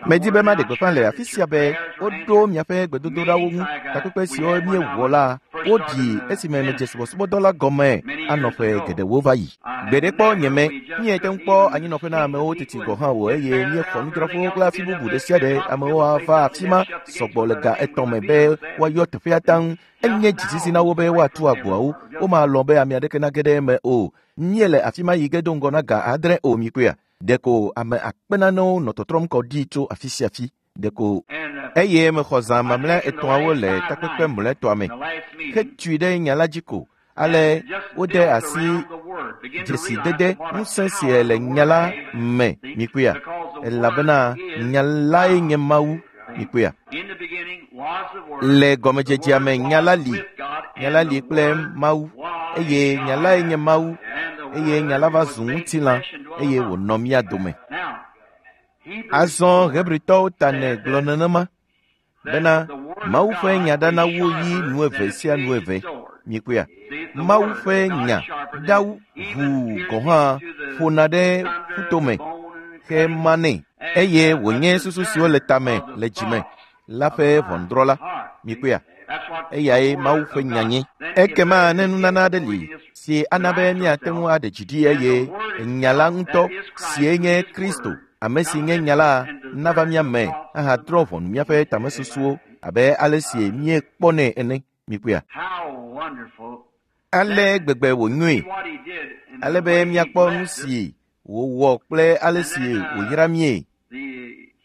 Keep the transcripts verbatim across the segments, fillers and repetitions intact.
Medi be maɖe gbeƒã le afi sia be woɖo miaƒe gbedodoɖawo ŋu. Takpekpe siwo míewɔ la, woɖi esime medze subɔsubɔdɔ la gɔme anɔ ƒe geɖewo va yi. Gbeɖekpɔ nye me, míete ŋu kpɔ anyinɔƒe na amewo teti gɔ̃ hã o eye míexɔ nudzraƒewo kple afi bubu ɖe sia ɖe. Amewo ava afi ma sɔgbɔ le ga etɔ̃ me be woayɔ teƒea taŋ. Enye dzisisi na wo be woatu agboawo. Womalɔ̃ be ame aɖeke nage ɖe eme o. Míele afi ma yi ge do ŋgɔ na ga adre o mikpɔea. Ɖeko ame akpe nanewo nɔ tɔtrɔm kɔ ɖi tso afi sia afi. Ɖeko eye mexɔ zã mamlɛa etɔ̃awo le takpekpe mlɔetɔa me. Hetui ɖe nya la dzi ko. Ale wode asi dzesidede ŋusẽ si le nya la me mikpɔea. Elabena nya lae nye Mawu mikpɔea. Le gɔmedzedzea me nya la li. Nya la li kple Mawu eye nya lae nye Mawu eye nya la va zu ŋutilã eye wònɔ mía dome. Azɔ Hebritɔwo ta nɛ gblɔ nenema bena Mawu ƒe nya ɖana wu yi nu eve sia nu eve. Mikpɔea? Mawu ƒe nya ɖa ʋuu gɔ̃ hã ƒona ɖe ƒutome hemanɛ eye wònye susu siwo le tame le dzime la ƒe ʋɔnudrɔ̃la. Mikpɔea? Eyae Mawu ƒe nya nye. Ekema ne nunana aɖe li si ana be míate ŋu aɖe dzi ɖi eye nya la ŋutɔ sie nye Kristo, ame si nye nya la nava mía me ahadrɔ̃ ʋɔnu míaƒe tamesusuwo abe ale si míekpɔnɛ ene. Mikpɔea? Ale gbegbe wònyoe ale be míakpɔ nu si wòwɔ kple ale si wòyra míe.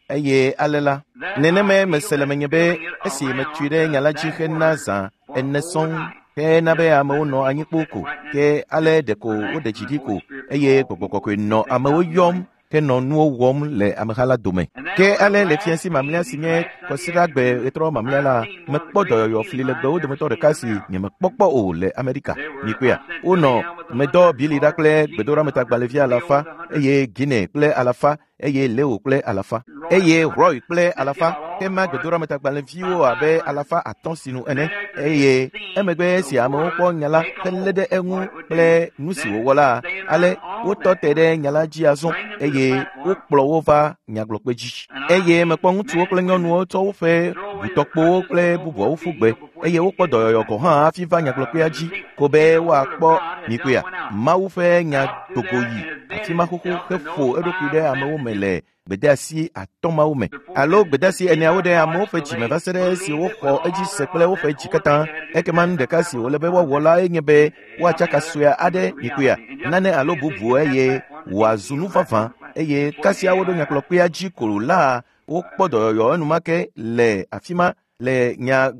Eye ale la, nenemae mese le menye be esi metui ɖe nya la dzi hena zã ene sɔŋ hena be amewo nɔ anyi kpoo ko ke ale ɖeko woɖe dzi ɖi ko eye gbɔgbɔ kɔkɔe nɔ amewo yɔm henɔ nuwo wɔm le ameha la dome. Ke ale le fiasi mamlɛa si nye kɔsiɖagbe ɣetrɔ mamlɛa la, mekpɔ dɔyɔyɔ fli legbewo dometɔ ɖeka si nyemekpɔ kpɔ o le Amerika. Mikpɔea? Wonɔ medɔ Bili ɖa kple gbedoɖametagbalẽvi alafa eye Guinea kple alafa eye Leo kple alafa eye Roy kple alafa hema gbedoɖametagbalẽviwo abe alafa atɔ̃ sinu ene eye emegbe esi amewo kpɔ nya la helé ɖe eŋu kple nu si wòwɔ la, ale wotɔ te ɖe nya la dzi azɔ eye wokplɔ wo va nyagblɔkpe dzi. Eye mekpɔ ŋutsuwo kple nyɔnuwo tsɔ woƒe ʋutɔkpowo kple bubuawo ƒu gbe eye wokpɔ dɔyɔyɔ gɔ̃ hã hafi va nyagblɔkpea dzi ko be woakpɔ mikpɔea. Mawu ƒe nya dogo yi afi ma xoxo heƒo eɖokui ɖe amewo me le gbedeasi atɔ̃ mawo me alo gbedeasi eneawo ɖe amewo ƒe dzime va se ɖe esi woxɔ edzi se kple woƒe dzi katã. Ekema nu ɖeka si wòle be woawɔ lae nye be woatsaka sue aɖe mikpɔea nane alo bubu eye wòazu nu vavã eye kasia woɖo nyakplɔkpea dzi ko la wokpɔ dɔyɔyɔ enumake le afi ma le nya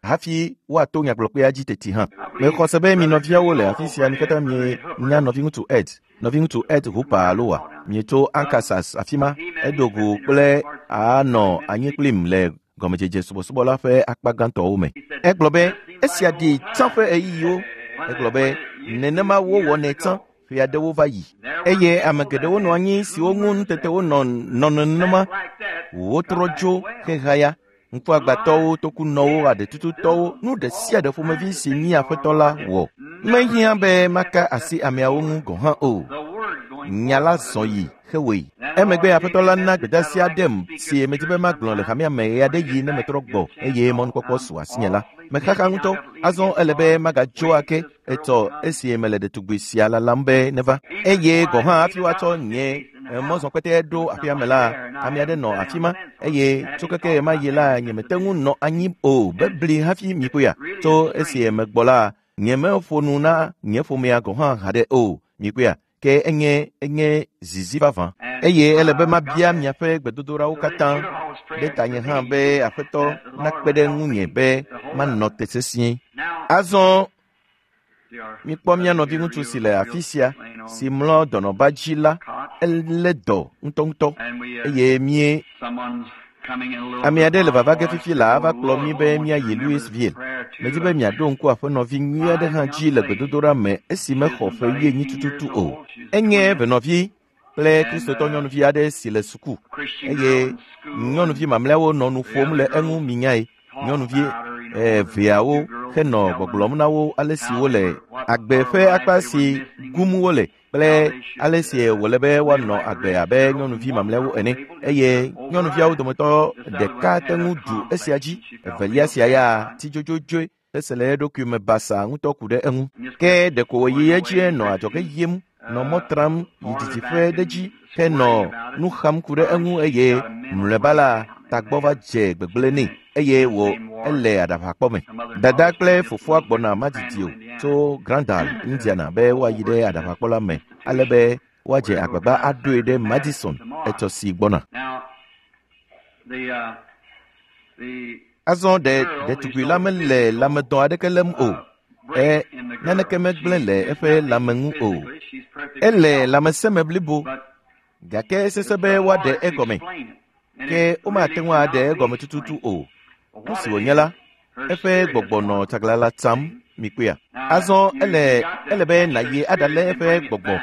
hafi woato nyagblɔkpea dzi teti hã. Mexɔ se be mi nɔviawo le afi sia mi katã mienya nɔviŋutsu Ed, nɔviŋutsu Ed Hooper alo wa mietso Arkansas afi ma edo go kple anɔ anyi kplim le gɔmedzedze subɔsubɔ la ƒe akpa gãtɔwo me. Egblɔ be esia ɖi tsã ƒe ɣeyiɣiwo. Egblɔ be nenema wowɔnɛ tsã ƒe aɖewo va yi eye ame geɖewo nɔ anyi siwo ŋu nutetewo nɔ nɔ nenema wotrɔ dzo hehaya. Ŋkuagbãtɔwo, tokunɔwo, aɖetututɔwo, nu ɖe sia ɖe ƒomevi si mía Aƒetɔ la wɔ. Mehiã be maka asi ameawo ŋu gɔ̃ hã o. Nya la zɔ yi hewɔe. Emegbe Aƒetɔ la na gbedeasi aɖem si medi be magblɔ le hamea me ɣeaɖeɣi ne metrɔ gbɔ eye mɔnukpɔkpɔ su asinye la. Mexaxa ŋutɔ. Azɔ ele be magadzo ake etɔ esi mele ɖetugbi sia lalam be neva. Eye gɔ̃ hã hafi woatsɔ nye mɔzɔkpete ɖo aƒea me la, ame aɖe nɔ afi ma eye tso keke ɣemaɣi yi la nyemete ŋu nɔ anyi o bebli hafi mikpɔea. Tso esi megbɔ la, nyemeƒo nu na nye ƒomea gɔ̃ hã haɖe o. Mikpɔea? Ke enye enye zizi vavã eye ele be mabia miaƒe gbedodoɖawo katã ɖe tanye hã be Aƒetɔ nakpe ɖe ŋunye be manɔ te sesĩe. Azɔ mikpɔ mía nɔviŋutsu si le afi sia si mlɔ dɔnɔba dzi la, elé dɔ ŋutɔŋutɔ eye mie ame aɖe le vava ge fifi la ava kplɔ mí be míayi Louisville. Medi be miaɖo ŋku aƒenɔvi nyui aɖe hã dzi le gbedodoɖa me esi mexɔ ƒe wuienyi tututu o. Enye venɔvi kple kristotɔ nyɔnuvi aɖe si le suku eye nyɔnuvi mamlɛawo nɔ nu ƒom le eŋu minyae. Nyɔnuvi eveawo henɔ gbɔgblɔm na wo ale si wole agbe ƒe akpa si gum wole kple ale si wòle be woanɔ agbe abe nyɔnuvi mamlɛawo ene eye nyɔnuviawo dometɔ ɖeka te ŋu ɖu esia dzi evelia sia ya ti dzodzodzoe ese le eɖokui me basa ŋutɔ ku ɖe eŋu ke ɖeko wòyi edzie nɔ adzɔge yim nɔ mɔ tram yi didiƒe ɖe dzi henɔ nu xam ku ɖe eŋu eye mlɔeba la tagbɔ va dze gbegblẽ nɛ eye wò ele aɖaʋakpɔ me. Dada kple fofoa gbɔna madidi o tso Grandal, Indiana be woayi ɖe aɖaʋakpɔ la me ale be woadze agbagba aɖoe ɖe Madison etsɔ si gbɔna. Azɔ ɖe ɖetugbui la mele lãmedɔ aɖeke lém o. E naneke megblẽ le eƒe lãme ŋu o. Ele lãmesẽ me blibo gake esesẽ be woaɖe egɔme. Ke womate ŋu aɖe egɔme tututu o. Nu si wònye la, eƒe gbɔgbɔ nɔ tsaglãla tsam mikpɔea. Azɔ ele ele be nàyi aɖalé eƒe gbɔgbɔ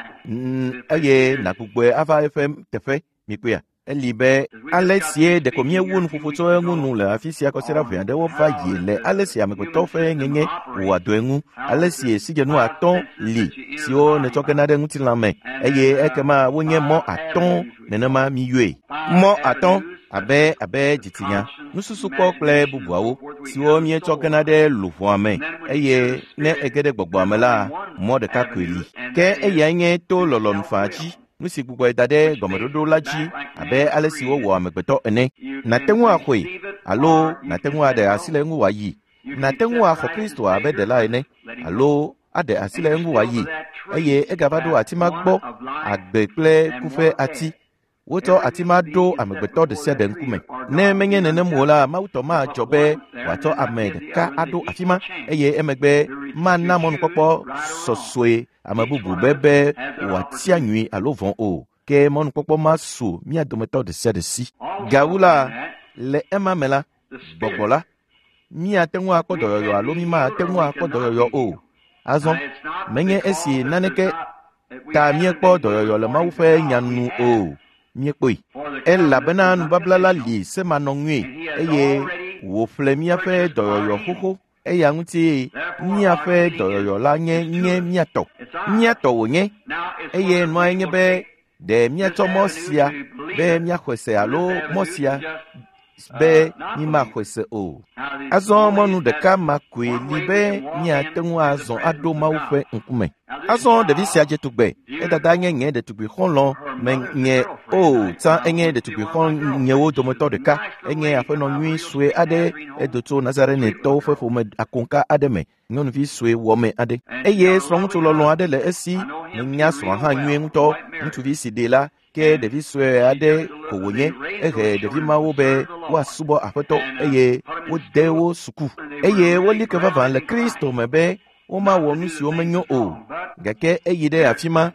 eye nàgbugbɔe ava eƒe teƒe mikpɔea. Eli be ale sie ɖeko míewu nuƒoƒo tso eŋu nu le afi sia kɔsiɖa ʋɛ aɖewo va yi le ale si amegbetɔ ƒe ŋeŋe wɔa dɔe ŋu, ale si sidzenu atɔ̃ li siwo nètsɔ gena ɖe ŋutilã me eye ekema wonye mɔ atɔ̃ nenema míyɔe. Mɔ atɔ̃ abe abe dzitsinya, nususukpɔ kple bubuawo siwo míetsɔ gena ɖe luʋɔa me eye ne ege ɖe gbɔgbɔa me la, mɔ ɖeka koe li. Ke eyae nye to lɔlɔ̃nu faa dzi. Nu si gbugbɔe da ɖe gɔmeɖoɖo la dzi abe ale si wowɔ amegbetɔ ene. Nàte ŋu axɔe alo nàte ŋu aɖe asi le eŋu wòayi. Nàte ŋu axɔ Kristo abe ɖela ene alo aɖe asi le eŋu wòayi eye egava ɖo ati ma gbɔ agbe kple ku ƒe ati. Wotsɔ ati ma ɖo amegbetɔ ɖe sia ɖe ŋkume. Ne menye nenem o la, Mawu tɔ madzɔ be wòatsɔ ame ɖeka aɖo afi ma eye emegbe mana mɔnukpɔkpɔ sɔsɔe ame bubu be be wòatia nyui alo vɔ̃ o. Ke mɔnukpɔkpɔ ma su mía dometɔ ɖe sia ɖe si. Gawu la, le ema me la, gbɔgbɔ la, míate ŋu akpɔ dɔyɔyɔ alo mímate ŋu akpɔ dɔyɔyɔ o. Azɔ, menye esi naneke ta míekpɔ dɔyɔyɔ le Mawu ƒe nya nu o. Míekpɔe. Elabena nubabla la li semanɔŋui eye wòƒle míaƒe dɔyɔyɔ xoxo. Eya ŋuti míaƒe dɔyɔyɔ la nye nye mía tɔ. Mía tɔ wònye eye nua nye be ɖe míatsɔ mɔ sia be míaxɔe se alo mɔ sia be mímaxɔe se o. Azɔ mɔnu ɖeka ma koe li be míate ŋu azɔ aɖo Mawu ƒe ŋkume. Azɔ ɖevi sia dze tugbe. Edada nye nye ɖetugbui xɔlɔ̃ me nye o tsã enye ɖetugbui xɔ̃nyewo dometɔ ɖeka. Enye aƒenɔ nyui sue aɖe edo tso Nazarenetɔwo ƒe ƒome akonka aɖe me. Nyɔnuvi sue wɔme aɖe. Eye srɔ̃ŋutsu lɔlɔ̃ aɖe le esi. Menya srɔ̃a hã nyuie ŋutɔ. Ŋutsuvi si ɖee la, ke ɖevi sue aɖe ko wònye. Ehe ɖevi mawo be woasubɔ aƒetɔ eye wode wo suku. Eye woli ke vavã le Kristo me be womawɔ nu siwo menyo o. Gake eyi ɖe afi ma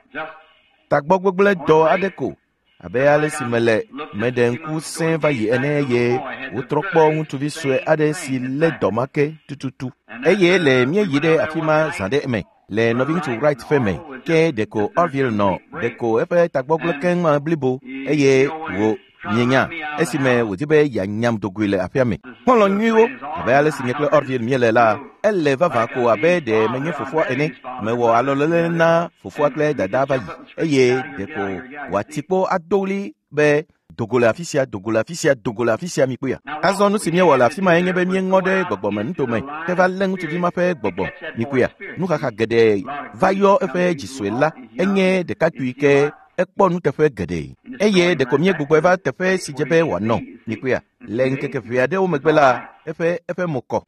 tagbɔgbegblẽ dɔ aɖe ko abe ale si mele meɖe ŋku sẽ va yi ene eye wotrɔ kpɔ ŋutsuvi sue aɖe si lé dɔ ma ke tututu. Eye le míeyi ɖe afi ma zã ɖe eme le nɔviŋutsu Wright ƒe me ke ɖeko Orville nɔ ɖeko eƒe tagbɔgblẽ keŋ blibo eye wò mienya esime wòdi be yeanyam dogoe le aƒea me. Xɔlɔ̃ nyuiwo abe ale si nye kple Orville míele la, ele vavã ko abe ɖe menye fofoa ene. Mewɔ alɔlele na fofoa kple dada va yi eye ɖeko wòati kpo ado ɣli be dogo le afi sia, dogo le afi sia, dogo le afi sia mikpɔea. Azɔ nu si míewɔ le afi ma nye be míeŋɔ ɖe gbɔgbɔme nutome ke va lé ŋutsuvi ma ƒe gbɔgbɔ mikpɔea. Nuxaxa geɖe va yɔ eƒe dzisue la enye ɖekakpui ke ekpɔ nuteƒe geɖe eye ɖeko míegbugbɔe va teƒe si dze be wòanɔ mikpɔea. Le ŋkeke ʋɛ aɖewo megbe la, eƒe eƒe mo kɔ.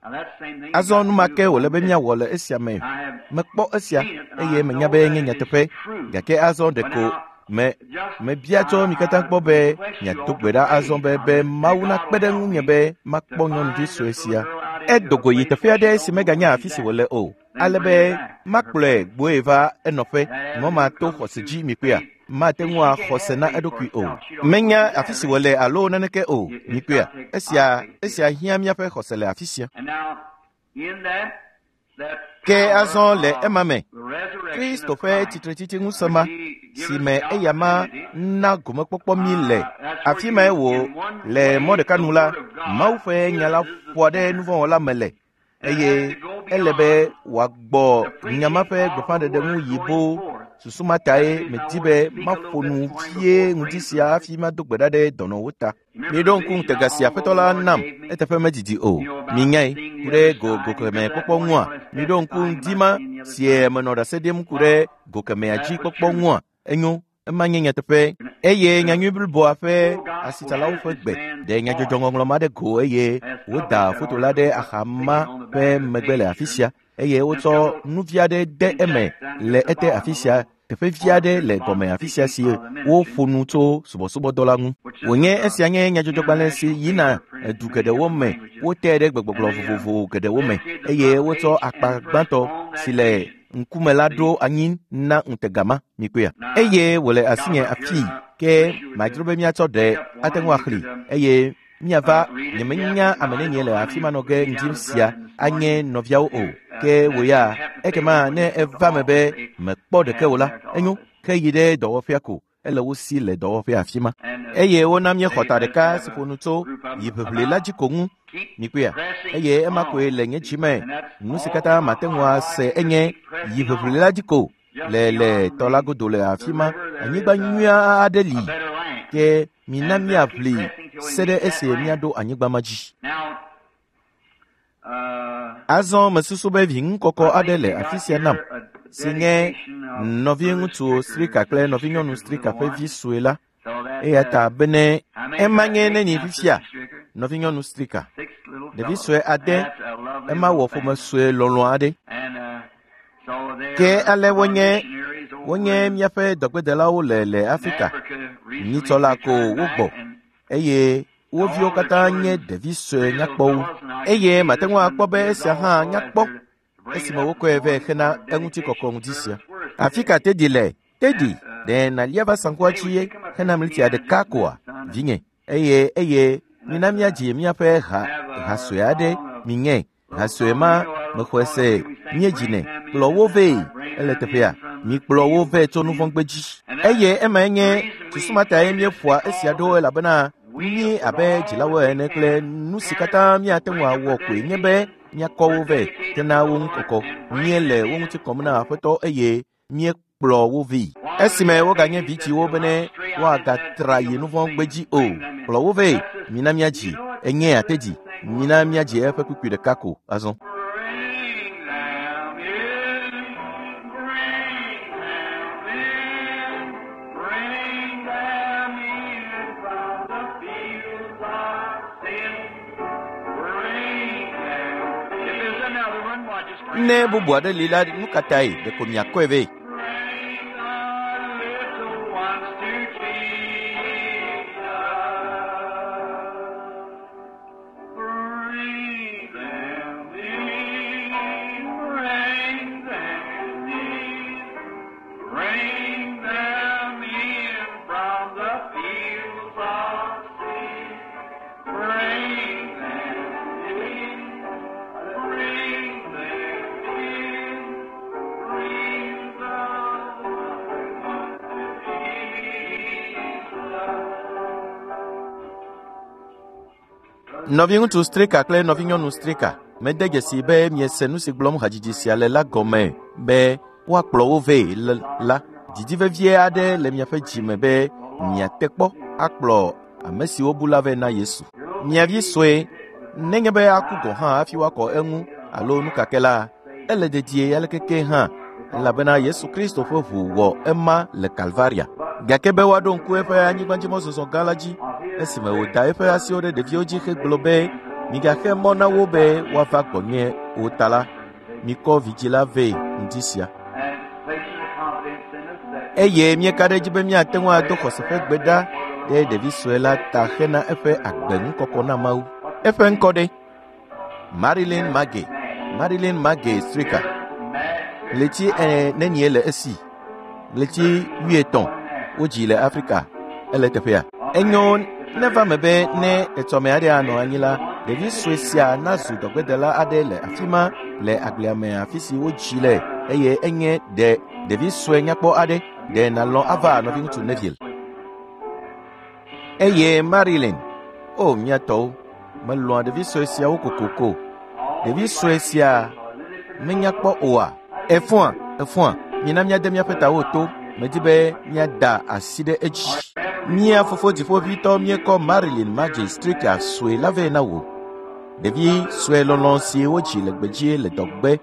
Azɔ nu ma ke wòle be míawɔ le esia me. Mekpɔ esia eye menya be nye nyateƒe gake azɔ ɖeko me mebia tso mi katã gbɔ be miado gbe ɖa azɔ be be Mawu nakpe ɖe ŋunye be makpɔ nyɔnuvi sue sia. Edo go yi teƒe aɖe si meganya afi si wòle o ale be makplɔe gbɔe va enɔƒe mɔ ma to xɔse dzi mikpɔea. Mate ŋu axɔ se na eɖokui o. Menya afi si wòle alo naneke o mikpɔea. Esia esia hiã míaƒe xɔse le afi sia. Ke azɔ le ema me, Kristo ƒe tsitretsitsi ŋusẽ ma si me eya ma na gomekpɔkpɔ mí le afi mae wò le mɔ ɖeka nu la, Mawu ƒe nya la ƒoa ɖe nuvɔ̃wɔla me le. Eye ele be wòagbɔ nya ma ƒe gbeƒãɖeɖe ŋu yi boo. Susu ma tae medi be maƒo nu vie ŋdi sia hafi mado gbe ɖa ɖe dɔnɔwo ta. Miɖo ŋku ŋutega si Aƒetɔ la nam eteƒe medidi o. Minyae ku ɖe go gokemɛ kpɔkpɔ ŋua? Miɖo ŋku ŋdi ma sie menɔ ɖase ɖim ku ɖe gokemɛa dzi kpɔkpɔ ŋua? Enyo, ema nye nyateƒe. Eye nyanyui bliboa ƒe asitsalawo ƒe gbe ɖe nyadzɔdzɔŋɔŋlɔ ma ɖe go eye woda foto la ɖe axama ƒe megbe le afi sia. Eye wotsɔ nuvi aɖe de eme le ete afi sia, teƒe vi aɖe le gɔme afi sia si woƒo nu tso subɔsubɔdɔ la ŋu. Wònye esia nye nyadzɔdzɔgbalẽ si yina du geɖewo me, wote ɖe gbegbɔgblɔ vovovo geɖewo me eye wotsɔ akpa gbãtɔ si le ŋkume la ɖo anyi na ŋutega ma. Mikpɔea? Eye wòle asinye afii ke madzro be míatsɔ ɖe ate ŋu axlẽe eye míava. Nyemenya ame nenie le afi ma nɔ ge ŋdi sia anye nɔviawo o. Ke wò ya, ekema ne eva me be mekpɔ ɖeke o la, enyo, ke yi ɖe dɔwɔƒea ko. Ele wo si le dɔwɔƒea afi ma. Eye wona míexɔ ta ɖeka si ƒo nu tso yiʋiʋli la dzi ko ŋu. Mikpɔea? Eye ema koe le nye dzime. Nu si katã mate ŋu ase enye yiʋiʋli la dzi ko le le tɔ la godo le afi ma. Anyigba nyui aɖe li. Ke mina míaʋli se ɖe esi míaɖo anyigba ma dzi. Azɔ mesusu be viŋukɔkɔ aɖe le afi sia nam, si nye nɔviŋutsu Strika kple nɔvinyɔnu Strika ƒe vi sue la. Eya ta bene ema nye neni fifia, nɔvinyɔnu Strika, ɖevi sue ade, ema wɔ ƒome sue lɔlɔ̃ aɖe. Ke ale wonye wonye míaƒe dɔgbedelawo le le Afrika. Nyitsɔ la ko wogbɔ eye wo viwo katã nye ɖevi sue nyakpɔwo. Eye mate ŋu akpɔ be esia hã nyakpɔ esime wokɔe vɛ hena eŋutikɔkɔ ŋdi sia. Afi ka Teddy le? Teddy, ɖe nàlia va saŋkua dzi hena mltia ɖeka koa, vinye? Eye eye mina míadzi míaƒe ha ha sue aɖe. Minye ha sue ma mexɔe se míedzinɛ. Kplɔ wo vɛ, ele teƒea. Mikplɔ wo vɛ tso nuvɔ̃gbedzi. Eye emae nye susu ma tae míeƒoa esia ɖo elabena mí abe dzilawo ene kple nu si katã míate ŋu awɔ koe nye be míakɔ wo vɛ hena wo ŋu kɔkɔ. Míele wo ŋuti kɔm na Aƒetɔ eye míekplɔ wo vɛ. Esime woganye vidziwo bene woagatra yi nuvɔ̃gbedzi o. Kplɔ wo vɛ, mina míadzi. Enye Teddy, mina míadzi eƒe kpukpui ɖeka ko azɔ. Bring them in, bring them in, bring them in from the fields of sin. Bring them. If there's another one, why just bring Ne bubu aɖe li la, nu ka tae ɖeko miakɔe vɛ? Bring the little ones to Jesus. Bring them in, bring them in, bring them in from the fields of sin. Bring them in, bring them in, bring the ones to Jesus. Nɔviŋutsu Strika kple nɔvinyɔnu Strika, mede dzesi be miese nu si gblɔm hadzidzi sia le la gɔme be woakplɔ wo vɛ la. Didi vevie aɖe le miaƒe dzime be miate kpɔ akplɔ ame siwo bu la vɛ na Yesu. Mia vi sue, nenye be aku gɔ̃ hã hafi woakɔ eŋu alo nu ka ke la, ele dedie alekeke hã, elabena Yesu Kristo ƒe ʋu wɔ ema le Kalvaria. Gake be woaɖo ŋku eƒe anyigbadzimɔzɔzɔ gã la dzi esime wòda eƒe asiwo ɖe ɖeviwo dzi hegblɔ be migaxe mɔ na wo be woava gbɔnye o ta la, mikɔ vidzĩ la vɛ ŋdi sia. And placing the confidence in us that Eye míeka ɖe edzi be míate ŋu ado xɔse ƒe gbe ɖa ɖe ɖevi sue la ta hena eƒe agbe ŋukɔkɔ na Mawu. Eƒe ŋkɔ ɖe? Marilyn Mage, Marilyn Mage Strika. Ɣleti nenie le esi? Ɣleti wuietɔ̃ wodzi le Afrika. Ele teƒea. Enyo neva me be ne etsɔme aɖe anɔ anyi la, ɖevi sue sia nazu dɔgbedela aɖe le afi ma le agblea me afi si wodzi le eye enye ɖe ɖevi sue nyakpɔ aɖe. Ɖe nàlɔ̃ ava nɔviŋutsu Neville. Eye Marilyn, o mía tɔwo, melɔ̃a ɖevi sue siawo kokoko. Ɖevi sue sia menya kpɔ oa? Efɔa, efɔa, mina míade míaƒe tawo to. Medi be míada asi ɖe edzi. Mía fofo dziƒoʋĩtɔ míekɔ Marilyn Margie Stricker sue la vɛ na wò. Ɖevi sue lɔlɔ̃ si wodzi le gbedzi le dɔgbe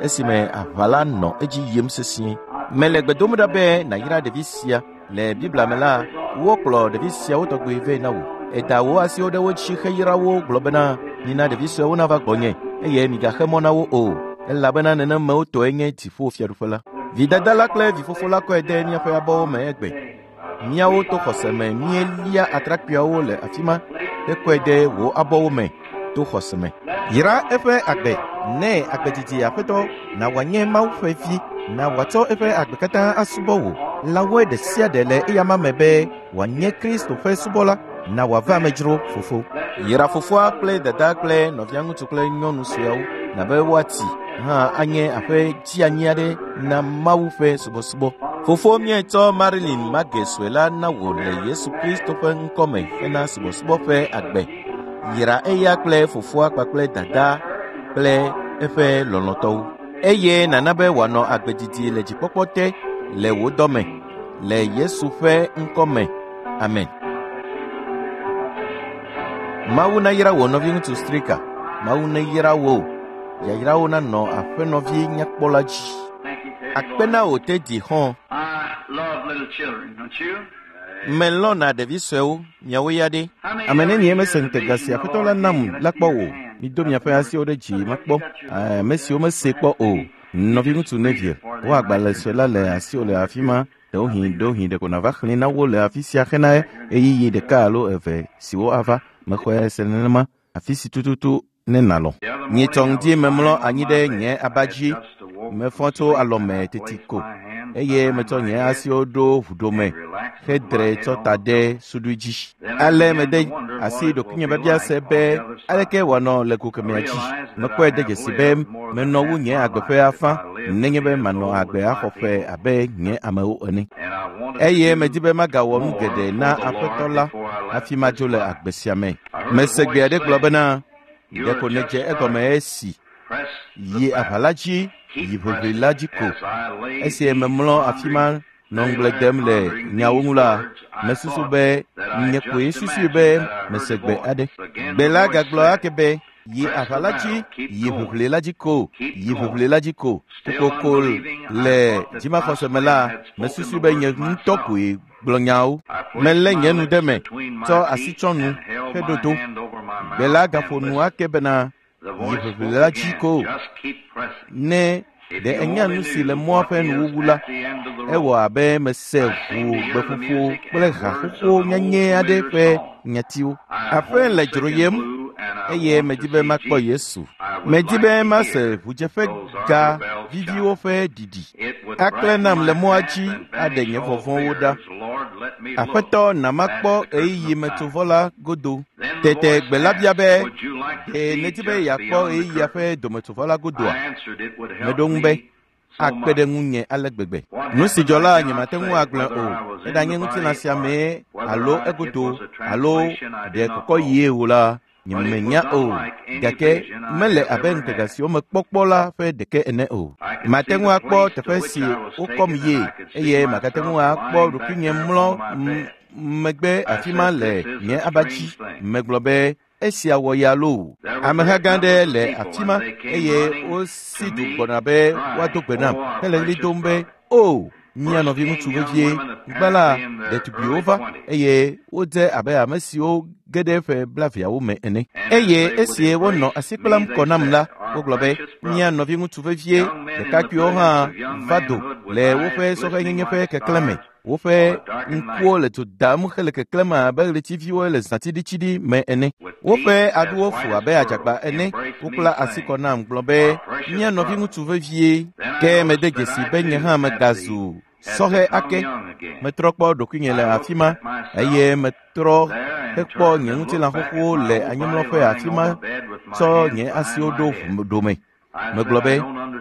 esime aʋa la nɔ edzi yim sesĩe. Mele gbe dom ɖa be nàyra ɖevi sia. Le Biblia me la, wokplɔ ɖevi siawo tɔgbe vɛ na wò. Èda wò asiwo ɖe wo dzi heyra wo gblɔ bena, mina ɖevi suewo nava gbɔnye eye migaxe mɔ na wo o, elabena nenemewo tɔe nye dziƒofiaɖuƒe la. Vidada la kple vifofo la kɔe de míaƒe abɔwo me egbe. Míawo to xɔse me míelia atrakpuiawo le afi ma hekɔe de wò abɔwo me to xɔse me. Yra eƒe agbe nɛ agbedidi Aƒetɔ, na wòanye Mawu ƒe vi, na wòatsɔ eƒe agbe katã asubɔ wò. Lãwoe ɖe sia ɖe le eyama me be wòanye Kristo ƒe subɔla, na wòava amedzro fofo. Yra fofoa kple dada kple nɔvia ŋutsu kple nyɔnu sueawo, na be woati hã anye aƒe dzianyi aɖe na Mawu ƒe subɔsubɔ. Fofo míetsɔ Marilyn Margie sue la na wò le Yesu Kristo ƒe ŋkɔme hena subɔsubɔ ƒe agbe. Yra eya kple fofoa kpakple dada kple eƒe lɔlɔ̃tɔwo. Eye nana be wòanɔ agbe didi le dzikpɔkpɔ te le wò dɔme le Yesu ƒe ŋkɔme. Amen. Mawu nayra wò nɔviŋutsu Stricker. Mawu neyra wò. Yayrawo nanɔ aƒenɔvi nyakpɔla dzi. Akpe na wò Teddy hɔ̃. I love little children, don't you? Melɔ̃na ɖevi suewo, miawo ya ɖe. Ame nenie mese ŋutega si Aƒetɔ la nam la kpɔ o. Mido miaƒe asiwo ɖe dzi makpɔ. Ame siwo mese kpɔ o. Nɔviŋutsu Neville, wò agbalẽ sue la le asiwò le afi ma. Ɖewohĩ ɖewohĩ ɖeko nàva xlẽe na wo le afi sia hena ɣeyiɣi ɖeka alo eve siwo ava. Mexɔe se nenema afi si tututu ne nàlɔ̃. Nyitsɔ ŋdi memlɔ anyi ɖe nye aba dzi. Mefɔ tso alɔme teti ko eye metsɔ nye asiwo ɖo ʋuɖome hedre tsɔ ta ɖe suɖui dzi. Ale mede asi ɖokuinye biabia se be aleke wòanɔ le go kemɛa dzi. Mekpɔe de dzesi be menɔ wu nye agbe ƒe afã nenye be manɔ agbe axɔ ƒe abe nye amewo ene. Eye medi be magawɔ nu geɖe na Aƒetɔ la hafi madzo le agbe sia me. Mese gbe aɖe gblɔ bena, ɖeko nèdze egɔme esi yi aʋa la dzi, yi ʋiʋli la dzi ko. Esi memlɔ afi ma nɔ ŋugble dem le nyawo ŋu la, mesusu be nye koe susui be mese gbe aɖe. Gbe la gagblɔ ake be, yi aʋa la dzi, yi ʋiʋli la dzi ko, yi ʋiʋli la dzi ko. Kokoko le dzimaxɔse me la, mesusui be nye ŋutɔ koe gblɔ nyawo. Melé nye nu ɖe me, tsɔ asi tsɔ nu heɖo to. Gbe la gaƒo nu ake bena, yi ʋiʋli la dzi ko. Ne ɖe enya nu si le mɔa ƒe nuwuwu la, ewɔ abe mese ʋu gbeƒoƒo kple haxoxo nyanyɛ aɖe ƒe nyatiwo. Aƒe le dzroyem eye medi be makpɔ Yesu. Medi be mase ʋudzeƒe ga viviwo ƒe ɖiɖi. Aklẽ nam le mɔa dzi aɖe nye vɔvɔ̃wo ɖa. Aƒetɔ na makpɔ ɣeyiɣi metsovɔ la godo. Tete gbe la bia be, ɖe nèdi be yeakpɔ ɣeyiɣia ƒe dometsovɔ la godoa? Meɖo ŋu be, akpe ɖe ŋunye ale gbegbe. Nu si dzɔ la nyemate ŋu agblɔe o. Eɖanye ŋutilã sia mee alo egodo alo ɖe kɔkɔ yie o la, nyemenya o. Gake mele abe ŋutega siwo mekpɔ kpɔ la ƒe ɖeke ene o. Mate ŋu akpɔ teƒe si wokɔm yie eye magate ŋu akpɔ ɖokuinye mlɔ megbe afi ma le nye aba dzi. Megblɔ be, esia wɔ ya loo. Ameha gã aɖe le afi ma eye wosi du gbɔna be woado gbe nam hele ɣli dom be, o, mía nɔviŋutsu vevie, gbã la, ɖetugbiwo va eye wodze abe ame siwo ge ɖe ƒe blaeveawo me ene. Eye esi wonɔ asi kplam kɔ nam la, wogblɔ be, mía nɔviŋutsu vevie, ɖekakpuiwo hã va do le woƒe sɔhɛnyenye ƒe keklẽ me. Woƒe ŋkuwo le dzo dam hele keklẽm abe ɣletiviwo le zãtsiɖitsiɖi me ene. Woƒe aɖuwo fu abe adzagba ene. Wokpla asi kɔ nam gblɔ be, mía nɔviŋutsu vevie. Ke mede dzesi be nye hã megazu sɔhɛ ake. Metrɔ kpɔ ɖokuinye le afi ma eye metrɔ hekpɔ nye ŋutilã xoxowo le anyimlɔƒe afi ma tsɔ nye asiwo ɖo ʋuɖome. Megblɔ be,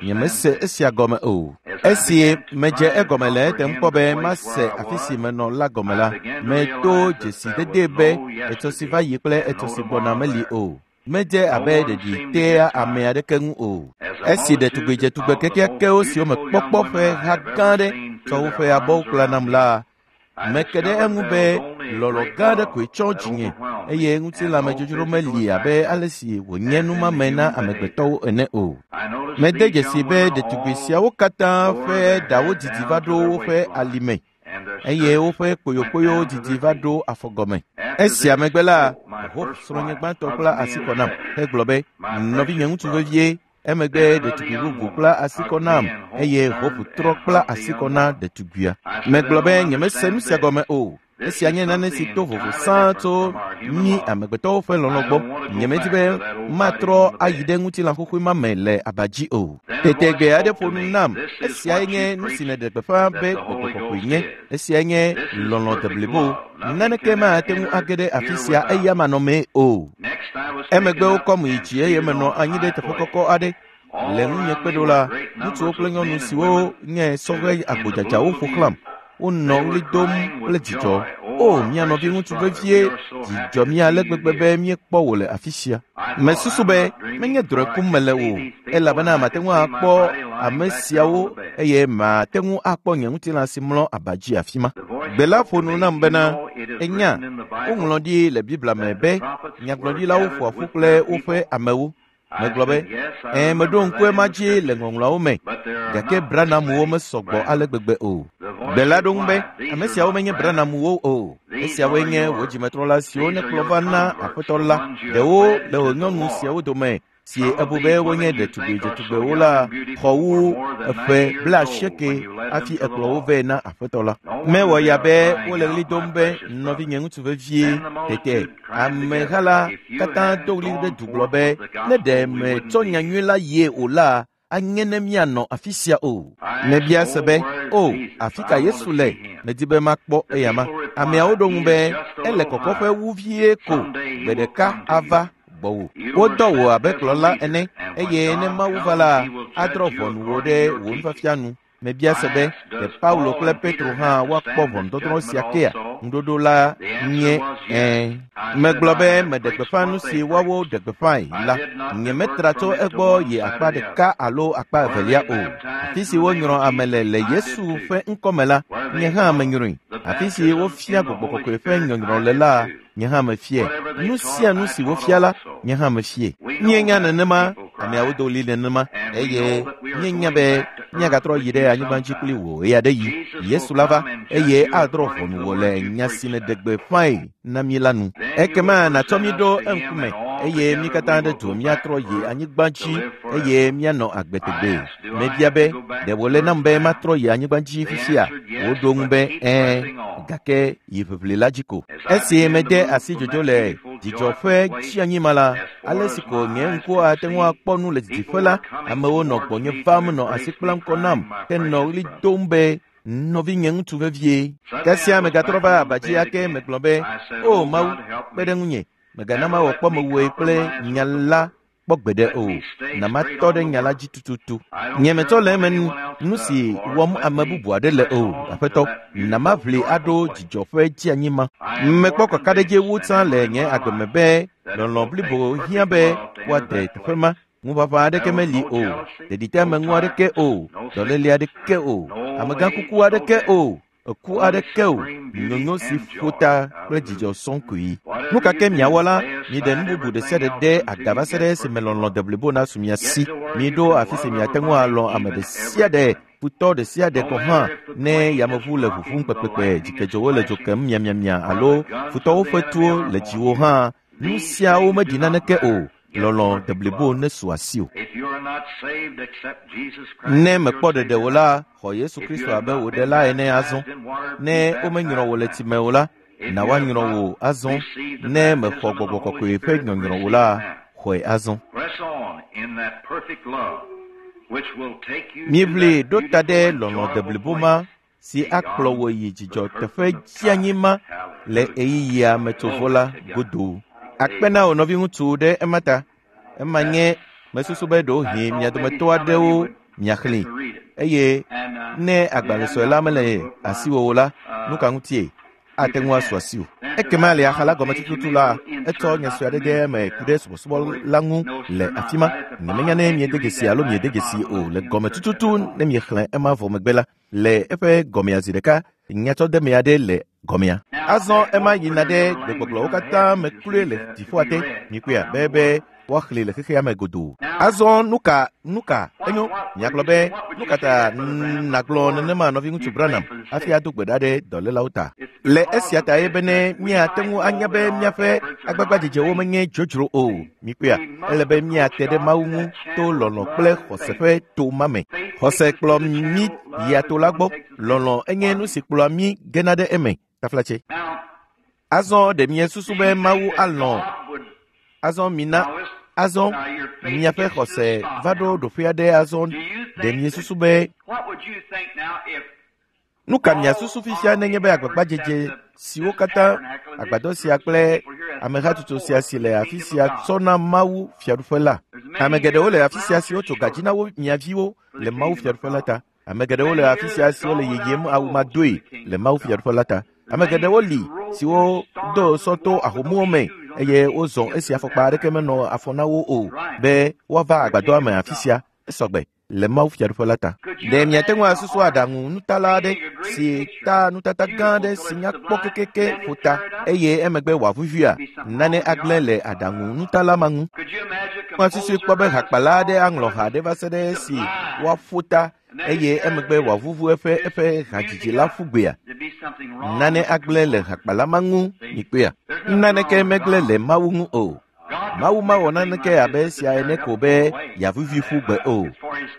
nyemese esia gɔme o. Esi medze egɔme le etem kpɔ be mase afi si menɔ la gɔme la, meto dzesi dede be etsɔ si va yi kple etsɔ si gbɔna meli o. Medze abe ɖeɖi tea ame aɖeke ŋu o. Esi ɖetugbi dzetugbe kekeakewo siwo me kpɔkpɔ ƒe ha gã aɖe tsɔ woƒe abɔwo kpla nam la, meke ɖe eŋu be lɔlɔ̃ gã aɖe koe tsɔ dzinye eye ŋutilãmedzodzro meli abe ale si wònye numame na amegbetɔwo ene o. Mede dzesi be ɖetugbi siawo katã ƒe ɖawo didi va ɖo woƒe alime eye woƒe kpoyokpoyo didi va ɖo afɔgɔme. Esia megbe la, Hope srɔ̃nye gbãtɔ kpla asi kɔ nam hegblɔ be, nɔvinye ŋutsu vevie. Emegbe ɖetugbi bubu kpla asi kɔ nam eye Hope trɔ kpla asi kɔ na ɖetugbia. Megblɔ be nyemese nu sia gɔme o. Esia nye nane si to vovo sãa tso mí amegbetɔwo ƒe lɔlɔ̃ gbɔ. Nyemedi be matrɔ ayi ɖe ŋutilã xoxoe ma me le aba dzi o. Tete gbe aɖe ƒo nu nam. Esiae nye nu si nèɖe gbeƒã be gbɔgbɔ kɔkɔe nye. Esiae nye lɔlɔ̃ deblibo. Naneke mate ŋu age ɖe afi sia eya manɔmee o. Emegbe wokɔm yi dzi eye menɔ anyi ɖe teƒe kɔkɔ aɖe. Le ŋunye kpe ɖo la, ŋutsuwo kple nyɔnu siwo nye sɔhɛ agbodzadzawo ƒo xlãm. Wonɔ ɣli dom kple dzidzɔ. O, mía nɔvi ŋutsu vevie, dzidzɔ mí ale gbegbe be míekpɔ wò le afi sia. Mesusu be menye drɔ̃e kum mele o, elabena mate ŋu akpɔ ame siawo eye mate ŋu akpɔ nye ŋutilã si mlɔ aba dzi afi ma. Gbe la ƒo nu nam bena, enya, woŋlɔ ɖi le Biblia me be nyagblɔɖilawo ƒoa ƒu kple woƒe amewo. Megblɔ be, ɛ̃, meɖo ŋku ema dzi le ŋɔŋlɔawo me, gake Branamuwo mesɔgbɔ ale gbegbe o. Gbe la ɖo ŋu be, ame siawo menye Branamuwo o. Esiawoe nye wò dzimetrɔla siwo nekplɔ va na Aƒetɔ la. Ɖewo le wò nyɔnu siawo dome si ebu be wonye ɖetugbi dzetugbewo la xɔ wu eƒe blaasieke hafi ekplɔ wo vɛ na Aƒetɔ la. Mewɔ ya be wole ɣli dom be nɔvinye ŋutsu vevie. Tete ameha la katã do ɣli ɖe du gblɔ be, ne ɖe metsɔ nyanyui la yie o la, anye ne míanɔ afi sia o. Mebia se be, o, afi ka Yesu le? Medi be makpɔ eyama. Ameawo ɖo ŋu be, ele kɔkɔƒe wu vie ko, gbe ɖeka ava gbɔwò. Wodɔ wò abe kplɔla ene eye ne Mawu va la, adrɔ̃ ʋɔnu wò ɖe wò nufiafia nu. Mebia se be, ɖe Paulo kple Petro hã woakpɔ ʋɔnudɔdrɔ̃ sia kea? Ŋuɖoɖo la nye ɛ̃. Megblɔ be meɖe gbeƒã nu si woawo ɖe gbeƒãe la. Nyemetra tso egbɔ yi akpa ɖeka alo akpa evelia o. Afi si wonyrɔ ame le le Yesu ƒe ŋkɔme la, nye hã menyrɔe. Afi si wofia gbɔgbɔ kɔkɔe ƒe nyɔnyrɔ le la, nye hã mefie. Nu sia nu si wofia la, nye hã mefie. Míenya nenema, ameawo do ɣli nenema, eye míenya be míagatrɔ yi ɖe anyigba dzi kpli wò ɣe aɖe yi. Yesu la va eye adrɔ̃ ʋɔnu wò le nya si nèɖe gbeƒãe na mí la nu. Ekema nàtsɔ mí ɖo eŋkume eye mí katã ɖe du míatrɔ yi anyigba dzi eye míanɔ agbe tegbee. Mebia be, ɖe wòle nam be matrɔ yi anyigba dzi fifia? Woɖo ŋu be, ɛ̃, gake yi ʋiʋli la dzi ko. Esi mede asi dzodzo le dzidzɔ ƒe tsianyima la, ale si ko nye ŋku ate ŋu akpɔ nu le didiƒe la, amewo nɔ gbɔnye vam nɔ asi kplam kɔ nam henɔ ɣli dom be, nɔvinye ŋutsu vevie. Kasia megatrɔ va aba dzi ake megblɔ be, o Mawu, kpe ɖe ŋunye, mègana mawɔ kpɔmewòe kple nya la kpɔ gbeɖe o. Na matɔ ɖe nya la dzi tututu. Nye metsɔ le eme nu si wɔm ame bubu aɖe le o, Aƒetɔ. Na maʋli aɖo dzidzɔ ƒe dzianyima. Mekpɔ kakaɖedzi wu tsã le nye agbe me be lɔlɔ̃ blibo hiã be woade teƒe ma. Ŋuʋaʋã aɖeke meli o, ɖeɖiteameŋu aɖeke o, dɔléle aɖeke o, amegãkuku aɖeke o, eku aɖeke o, nyonyo si ƒo ta kple dzidzɔ sɔŋ koe. Nu ka ke miawɔ la, miɖe nu bubu ɖe sia ɖe ɖe aga va se ɖe esime lɔlɔ̃ deblibo nasu mia si. Miɖo afi si miate ŋu alɔ̃ ame ɖe sia ɖe, futɔ ɖe sia ɖe gɔ̃ hã, ne yameʋu le ʋuʋum kpekpekpe, dzikedzowo le dzo kem miamiamia alo futɔwo ƒe tuwo le dziwò hã, nu siawo meɖi naneke o. Lɔlɔ̃ deblibo nesu asiwò. Ne mèkpɔ ɖeɖe o la, xɔ Yesu Kristo abe wò ɖela ene azɔ. Ne womenyrɔ wò le tsime o la, na woanyrɔ wò azɔ. Ne mèxɔ gbɔgbɔ kɔkɔe ƒe nyɔnyrɔ o la, xɔe azɔ. Míeʋli ɖo ta ɖe lɔlɔ̃ deblibo ma si akplɔ wò yi dzidzɔ teƒe dzianyi ma le ɣeyiɣia metsovo la godo. Akpe na wò nɔviŋutsu ɖe ema ta. Ema nye mesusu be ɖewohĩ mia dometɔ aɖewo miaxlẽe eye ne agbalẽ sue la mele asiwò o la, nu ka ŋutie? ate ŋu asu asiwò. Ekema le axa la gɔme tututu la, etsɔ nya sue aɖe ɖe eme ku ɖe subɔsubɔ la ŋu le afi ma. Nyemenya ne miede dzesi alo miede dzesi o le gɔme tututu ne miexlẽ ema vɔ megbe la, le eƒe gɔmea zi ɖeka nyatsɔdeme aɖe le gɔmea. Azɔ ema yina ɖe gbegbɔgblɔwo katã me kloe le dziƒoa te. Mikpɔea be be woaxlẽe le xexea me godoo. Azɔ nu ka nu ka enyo miagblɔ be nu ka ta nàgblɔ nenema nɔviŋutsu Branham hafi ado gbe ɖa ɖe dɔlélawo ta. Le esia ta ye be ne míate ŋu anya be míaƒe agbagbadzedzewo menye dzodzro o. Mikpɔea ele be míate ɖe Mawu ŋu to lɔlɔ̃ kple xɔse ƒe to ma me. Xɔse kplɔ mí yia to la gbɔ. Lɔlɔ̃ enye nu si kplɔa mí gena ɖe eme. Taflatse. Azɔ ɖe miesusu be Mawu alɔ̃. Azɔ mina azɔ miaƒe xɔse va ɖo ɖoƒe aɖe azɔ ɖe miesusu be nu ka miasusu fifia nenye be agbagbadzedze siwo katã agbadɔ sia kple amehatsotso sia si le afi sia tsɔ na Mawu fiaɖuƒe la. Ame geɖewo le afi sia siwo tso gadzi na wo mia viwo le Mawu fiaɖuƒe la ta. Ame geɖewo le afi sia siwo le yeyem awu madoe le Mawu fiaɖuƒe la ta. Ame geɖewo li siwo do sɔ to ahomuwo me eye wozɔ esi afɔkpa aɖeke menɔ afɔ na wo o be woava agbadɔa me afi sia esɔgbe le Mawu fiaɖuƒe la ta. Ɖe miate ŋu asusu aɖaŋu nutala aɖe si ta nutata gã aɖe si nya kpɔ kekeke ƒo ta eye emegbe wòavuvuia nane agblẽ le aɖaŋu nutala ma ŋu. Asusui kpɔ be hakpala aɖe aŋlɔ ha aɖe va se ɖe esi woaƒo ta eye emegbe wòavuvu eƒe eƒe hadzidzi la ƒu gbea. Nane agblẽ le hakpala ma ŋu mikpɔea. Naneke megblẽ le Mawu ŋu o. Mawu mawɔ naneke abe esia ene ko be yeavuvi ƒu gbe o.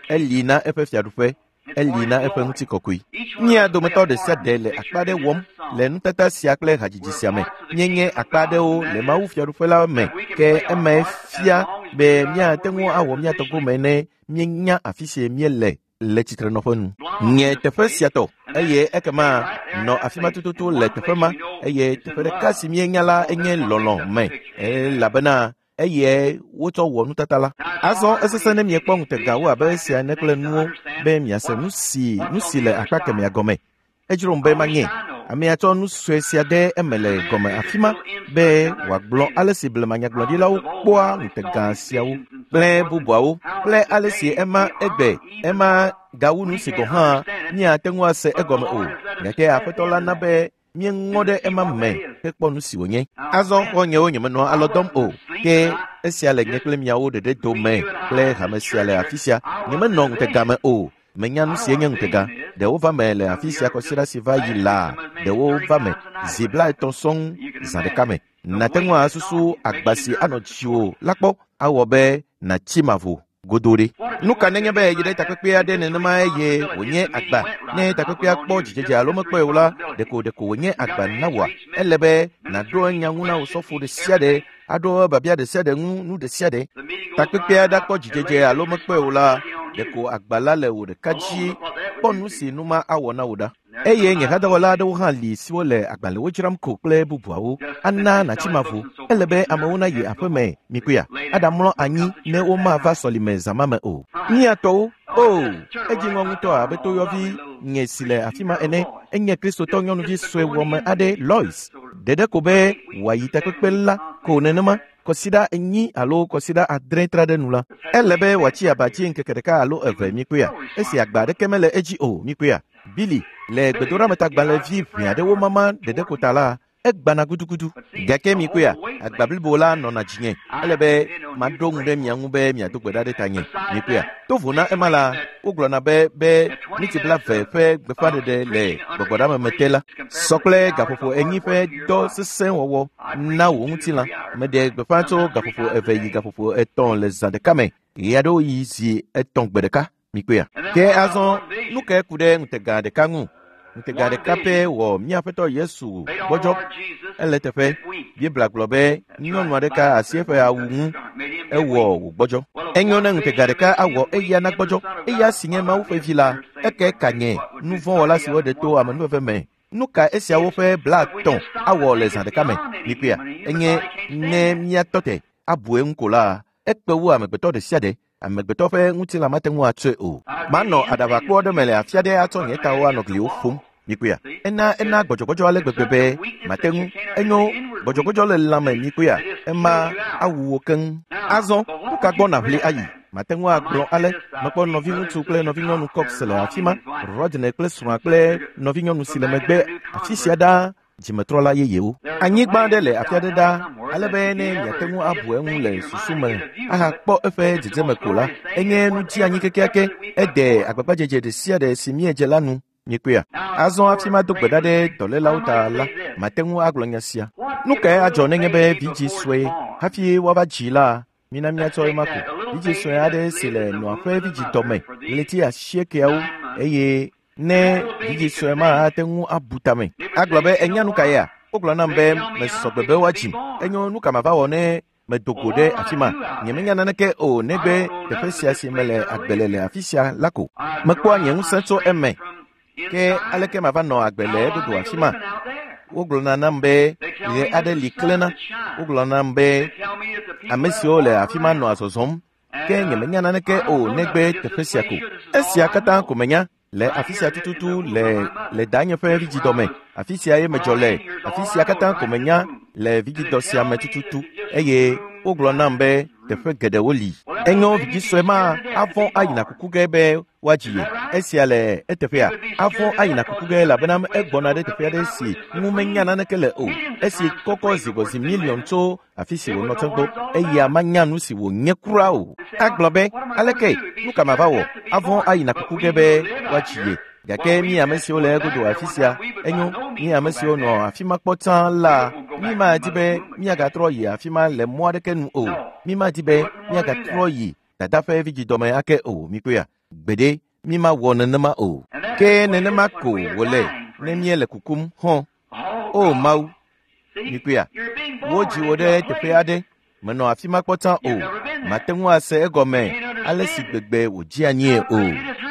Eli na eƒe fiaɖuƒe, eli na eƒe ŋutikɔkɔe. Mía dometɔ ɖe sia ɖe le akpa aɖe wɔm le nutata sia kple hadzidzi sia me. Míenye akpa aɖewo le Mawu fiaɖuƒe la me ke emae fia be míate ŋu awɔ mía tɔ gome ne míenya afi si míele le tsitrenɔƒe nu. Nye teƒe sia tɔ eye ekema nɔ afi ma tututu le teƒe ma eye teƒe ɖeka si míenya la enye lɔlɔ̃ me elabena eye wotsɔ wɔ nutata la. Azɔ esesẽ ne miekpɔ ŋutegawo abe esia ene kple nuwo be miase nu si nu si le akpa kemɛa gɔme. Edzrom be manye. Amea tsɔ nu sue sia ɖe eme le gɔme afi ma be wòagblɔ ale si blemanyagblɔɖilawo kpɔa ŋutega siawo kple bubuawo kple ale si ema egbe ema gawu nu si gɔ̃ hã míate ŋu ase egɔme o. Gake Aƒetɔ la na be míeŋɔ ɖe ema me hekpɔ nu si wònye. Azɔ xɔ̃nyewo nyemenɔ alɔ dɔm o ke esia le nye kple miawo ɖeɖe dome kple hame sia le afi sia. Nyemenɔ ŋutega me o. Menya nu si enye ŋutega. Ɖewo va me le afi sia kɔsiɖa si va yi laa, ɖewo va me zi blaetɔ̃ sɔŋ zã ɖeka me. Nàte ŋu asusu agba si anɔ dziwò la kpɔ awɔ be nàtsi mavo godo ɖe. Nu ka nenye be yi ɖe takpekpe aɖe nenema eye wònye agba ne takpekpea kpɔ dzidzedze alo mekpɔe o la, ɖeko ɖeko wònye agba na wòa. Ele be nàɖo nya ŋu na wò sɔfo ɖe sia ɖe, aɖo biabia ɖe sia ɖe ŋu nu ɖe sia ɖe. Takpekpea ɖakpɔ dzidzedze alo mekpɔe o la, ɖeko agba la le wò ɖeka dzi kpɔ nu si nu ma awɔ na wò ɖa. Eye nye hadɔwɔla aɖewo hã li siwo le agbalẽwo dzram ko kple bubuawo ana nàtsi mavo. Ele be amewo nayi aƒeme mikpɔea aɖamlɔ anyi ne womava sɔlime zã ma me o. Mía tɔwo o edzi ŋɔ ŋutɔ abe toyɔvi nye si le afi ma ene enye kristotɔ nyɔnuvi sue wɔme aɖe Lois ɖeɖe ko be wòayi takpekpe la ko nenema kɔsiɖa enyi alo kɔsiɖa adre tra ɖe nu la. Ele be wòatsi aba dzi ŋkeke ɖeka alo eve mikpɔea esi agba aɖeke mele edzi o mikpɔea. Billy le gbedoɖametagbalẽvi ʋɛ aɖewo mama ɖeɖe ko ta la egbana gudugudu. Gake mikpɔea agba blibo la nɔna dzinye. Ele be maɖo ŋu ɖe mia ŋu be miado gbe ɖa ɖe tanye. Mikpɔea to vo na ema la wogblɔna be be miniti blaeve ƒe gbeƒãɖeɖe le gbɔgbɔɖameme te la sɔ kple gaƒoƒo enyi ƒe dɔ sesẽ wɔwɔ na wò ŋutilã. Meɖe gbeƒã tso gaƒoƒo eve yi gaƒoƒo etɔ̃ le zã ɖeka me ɣe aɖewo yi zi etɔ̃ gbe ɖeka. Mikpɔea. Ke azɔ nu kae ku ɖe ŋutega ɖeka ŋu? Ŋutega ɖeka pɛ wɔ mía Aƒetɔ Yesu gbɔdzɔ. Ele teƒe. Biblia gblɔ be nyɔnu aɖeka asi eƒe awu ŋu ewɔ wògbɔdzɔ. Enyo ne ŋutega ɖeka awɔ eya nagbɔdzɔ. Eya si nye Mawu ƒe vi la, eke ka nye nu vɔ̃ wɔla siwo ɖe to amenuveve me. Nu ka esiawo ƒe blaetɔ̃ awɔ le zã ɖeka me? Mikpɔea. Enye ne míatɔ te abu eŋu ko la, ekpe wu amegbetɔ ɖe sia ɖe. Amegbetɔ ƒe ŋutilã mate ŋu atsɔe o. Manɔ aɖaʋakpo aɖe me le afi aɖe atsɔ nye tawo anɔ gliwo ƒom. Mikpɔea, ena ena gbɔdzɔgbɔdzɔ ale gbegbe be mate ŋu enyo gbɔdzɔgbɔdzɔ le lãme mikpɔea, ema awu wò keŋ. Azɔ nu ka gbɔ nàʋli ayi? Mate ŋu agblɔ ale mekpɔ nɔviŋutsu kple nɔvinyɔnu Cox le afi ma, Rodney kple srɔ̃a kple nɔvinyɔnu si le megbe afi sia ɖaa dzimetrɔla yeyewo. Anyigba aɖe le afi aɖe ɖaa ale be ne miate ŋu abu eŋu le susu me ahakpɔ eƒe dzedzeme ko la, enye nu dzi kekeake ede agbagbadzedze ɖe sia ɖe si míedze la nu. Mikpɔea, azɔ hafi mado gbe ɖa ɖe dɔlélawo ta la, mate ŋu agblɔ nya sia. Nu kae adzɔ nenye be vidzĩ sue hafi woava dzi la, mina míatsɔ ema ko. Vidzĩ sue aɖe si le nɔa ƒe vidzidɔme ɣleti asiekeawo eye ne vidzĩ sue ma ate ŋu abu tame. Agblɔ be enya nu ka yea? Wogblɔ nam be mesɔ gbe be woadzim. Enyo nu ka mava wɔ ne medo go ɖe afi ma? Nyemenya naneke o negbe teƒe sia si mele agbe le le afi sia la ko. Mekpɔa nye ŋusẽ tso eme. Ke aleke mava nɔ agbe le egodo afi ma? Wogblɔna nam be ɣe aɖe li klẽna. Wogblɔna nam be ame siwo le afi ma nɔa zɔzɔm. Ke nyemenya naneke o negbe teƒe sia ko. Esia katã ko menya le afi sia tututu le le danye ƒe vidzidɔme. Afi sia ye medzɔ le. Afi sia katã ko menya le vidzidɔ sia me tututu. Eye wogblɔ nam be teƒe geɖewo li. Enyo vidzĩ sue ma avɔ̃ ayina kuku ge be woadzi ye. Esia le eteƒea. Avɔ̃ ayina kuku ge elabena egbɔna ɖe teƒe aɖe si ŋu menya naneke le o. Esi kɔkɔ zi gbɔ zi miliɔn tso afi si wònɔ tsã gbɔ. Eya manya nu si wònye kura o. Agblɔ be aleke nu ka mava wɔ? Avɔ̃ ayina kuku ge be woadzi ye. Gake mi ame siwo le egodo afi sia, enyo mi ame siwo nɔ afi ma kpɔ tsã la, mi madi be míagatrɔ yi afi ma le mɔ aɖeke nu o. Mi madi be míagatrɔ yi dada ƒe vidzidɔme ake o. Mikpɔea, gbeɖe mi mawɔ nenema o. Ke nenema ko wòle ne míele kukum hɔ̃. O Mawu, mikpɔea, wodzi wò ɖe teƒe aɖe, menɔ afi ma kpɔ tsã o. Mate ŋu ase egɔme ale si gbegbe wòdzi anyie o.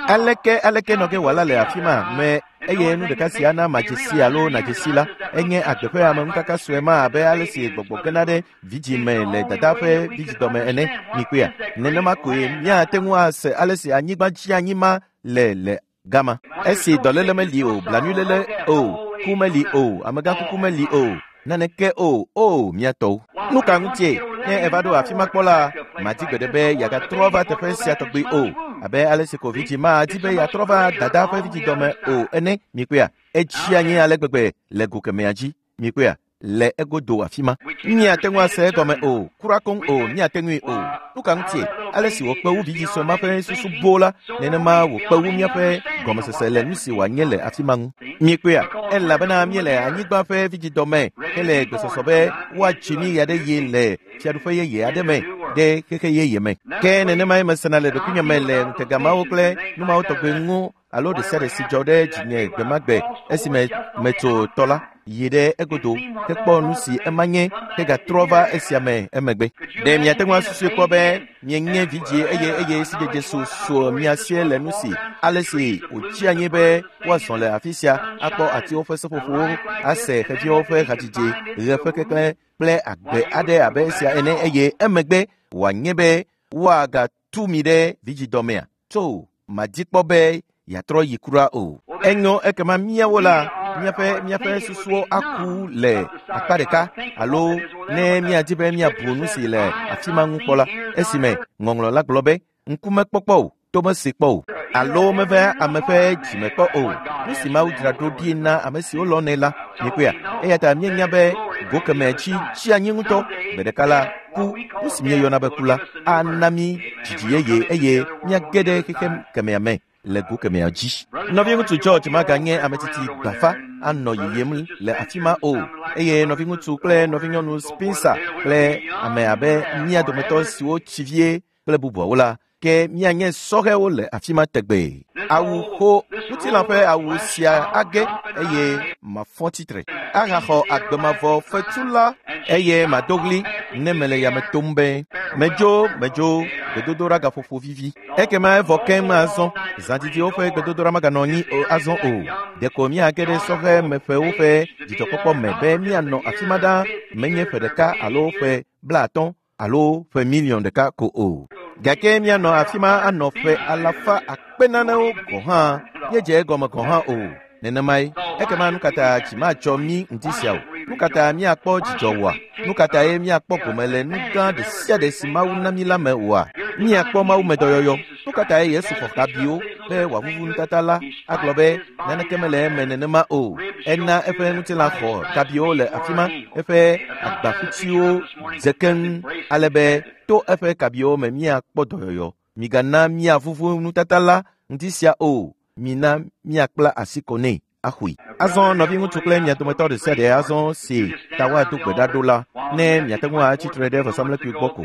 Aleke aleke nɔ ge wòala le afi ma me eye nu ɖeka si ana madze si alo nadze si la, enye agbe ƒe ameŋukaka sue ma abe ale si gbɔgbɔ gena ɖe vidzĩ me le dada ƒe vidzidɔme ene. Mikpɔea, nenema koe míate ŋu ase ale si anyigba dzi anyi ma le le gama. Esi dɔléle meli o, blanuiléle o, ku meli o, amegãkuku meli o, naneke o, o mía tɔwo. Nu ka ŋutie? Ne eva ɖo afi ma kpɔ la, madi gbeɖe be yeagatrɔ va teƒe sia tɔgbi o. Abe ale si ko vidzĩ ma di be yeatrɔ va dada ƒe vidzidɔme o ene. Mikpɔea, etsi anyi ale gbegbe le go kemɛa dzi. Mikpɔea, le egodo afi ma. Míate ŋu ase egɔme o, kura koŋ o, míate ŋui o. Nu ka ŋutie? Ale si wòkpe wu vidzĩ sue ma ƒe susu boo la, nenema wòkpe wu míaƒe gɔmesese le nu si wòanye le afi ma ŋu. Mikpɔea, elabena míele anyigba ƒe vidzidɔme hele gbesɔsɔ be woatsi mí ɣe aɖe ɣi le fiaɖuƒe yeye aɖe me ɖe xexe yeye me. Ke nenemae mesena le ɖokuinye me le ŋutegamawo kple numawo tɔgbe ŋu alo ɖe sia ɖe si dzɔ ɖe dzinye gbe ma gbe esime metso tɔ la yi ɖe egodo hekpɔ nu si ema nye hegatrɔ va esia me emegbe. Ɖe miate ŋu asusui kpɔ be mienye vidzĩ eye eye sidzedze su mia sie le nu si ale si wòtsi anyi be woazɔ le afi sia akpɔ atiwo ƒe seƒoƒowo, ase xeviwo ƒe hadzidzi, ɣe ƒe keklẽ kple agbe aɖe abe esia ene eye emegbe wòanye be woagatu mi ɖe vidzidɔmea? Tso madi kpɔ be yeatrɔ yi kura o. Enyo ekema míawo la, míaƒe míaƒe susuwo aku le akpa ɖeka alo ne míadi be míabu nu si le afi ma ŋu kpɔ la, esime ŋɔŋlɔ la gblɔ be ŋku mekpɔkpɔ o, to mese kpɔ o, alo meve ame ƒe dzime kpɔ o. Nu si Mawu dzra ɖo ɖi na ame siwo lɔ̃nɛ la, mikpɔea. Eya ta míenya be go kemɛ dzi tsi anyi ŋutɔ. Gbe ɖeka la, ku, nu si míeyɔna be ku la, ana mí dzidzi yeye eye míage ɖe xexe kemɛa me le go kemɛa dzi. Nɔviŋutsu George maganye ame tsitsi gbafa anɔ yiyim le afi ma o. Eye nɔviŋutsu kple nɔvinyɔnu Spencer kple ame abe mía dometɔ siwo tsi vie kple bubuawo la, ke míanye sɔhɛwo le afi ma tegbee. Awu xo ŋutilã ƒe awu sia age eye mafɔ tsitre. Ahaxɔ agbemavɔ fetu la eye mado ɣli ne mele yame tom be medzo medzo gbedodoɖa gaƒoƒo vivi. Ekema evɔ keŋ azɔ. Zãdidiwo ƒe gbedodoɖa maganɔ anyi azɔ o. Ɖeko míage ɖe sɔhɛmeƒewo ƒe dzidzɔkpɔkpɔ me be míanɔ afi ma ɖaa menye ƒe ɖeka alo ƒe blaatɔ̃ alo ƒe miliɔn ɖeka ko o. Gake míanɔ afi ma anɔ ƒe alafa akpe nanewo gɔ̃ hã míedze egɔme gɔ̃ hã o. Nenemae. Ekema nu katã dzi matsɔ mí ŋdi sia o. Nu katã míakpɔ dzidzɔ oa? Nu katã ye míakpɔ gome le nu gã ɖe sia ɖe si Mawu na mí la me oa? Míakpɔ Mawu me dɔyɔyɔ. Nu katã ye Yesu xɔ kabiwo be wòavuvu nutata la agblɔ be naneke mele eme nenema o. Ena eƒe ŋutilã xɔ kabiwo le afi ma, eƒe agbaƒutiwo dze keŋ ale be to eƒe kabiwo me míakpɔ dɔyɔyɔ. Migana míavuvu nutata la ŋdi sia o. Mina míakpla asi kɔ nɛ axɔe. Azɔ nɔviŋutsu kple mia dometɔ ɖe sia ɖe azɔ si ta woado gbe ɖa ɖo la, ne miate ŋu atsitre ɖe vɔsamlekpui gbɔ ko.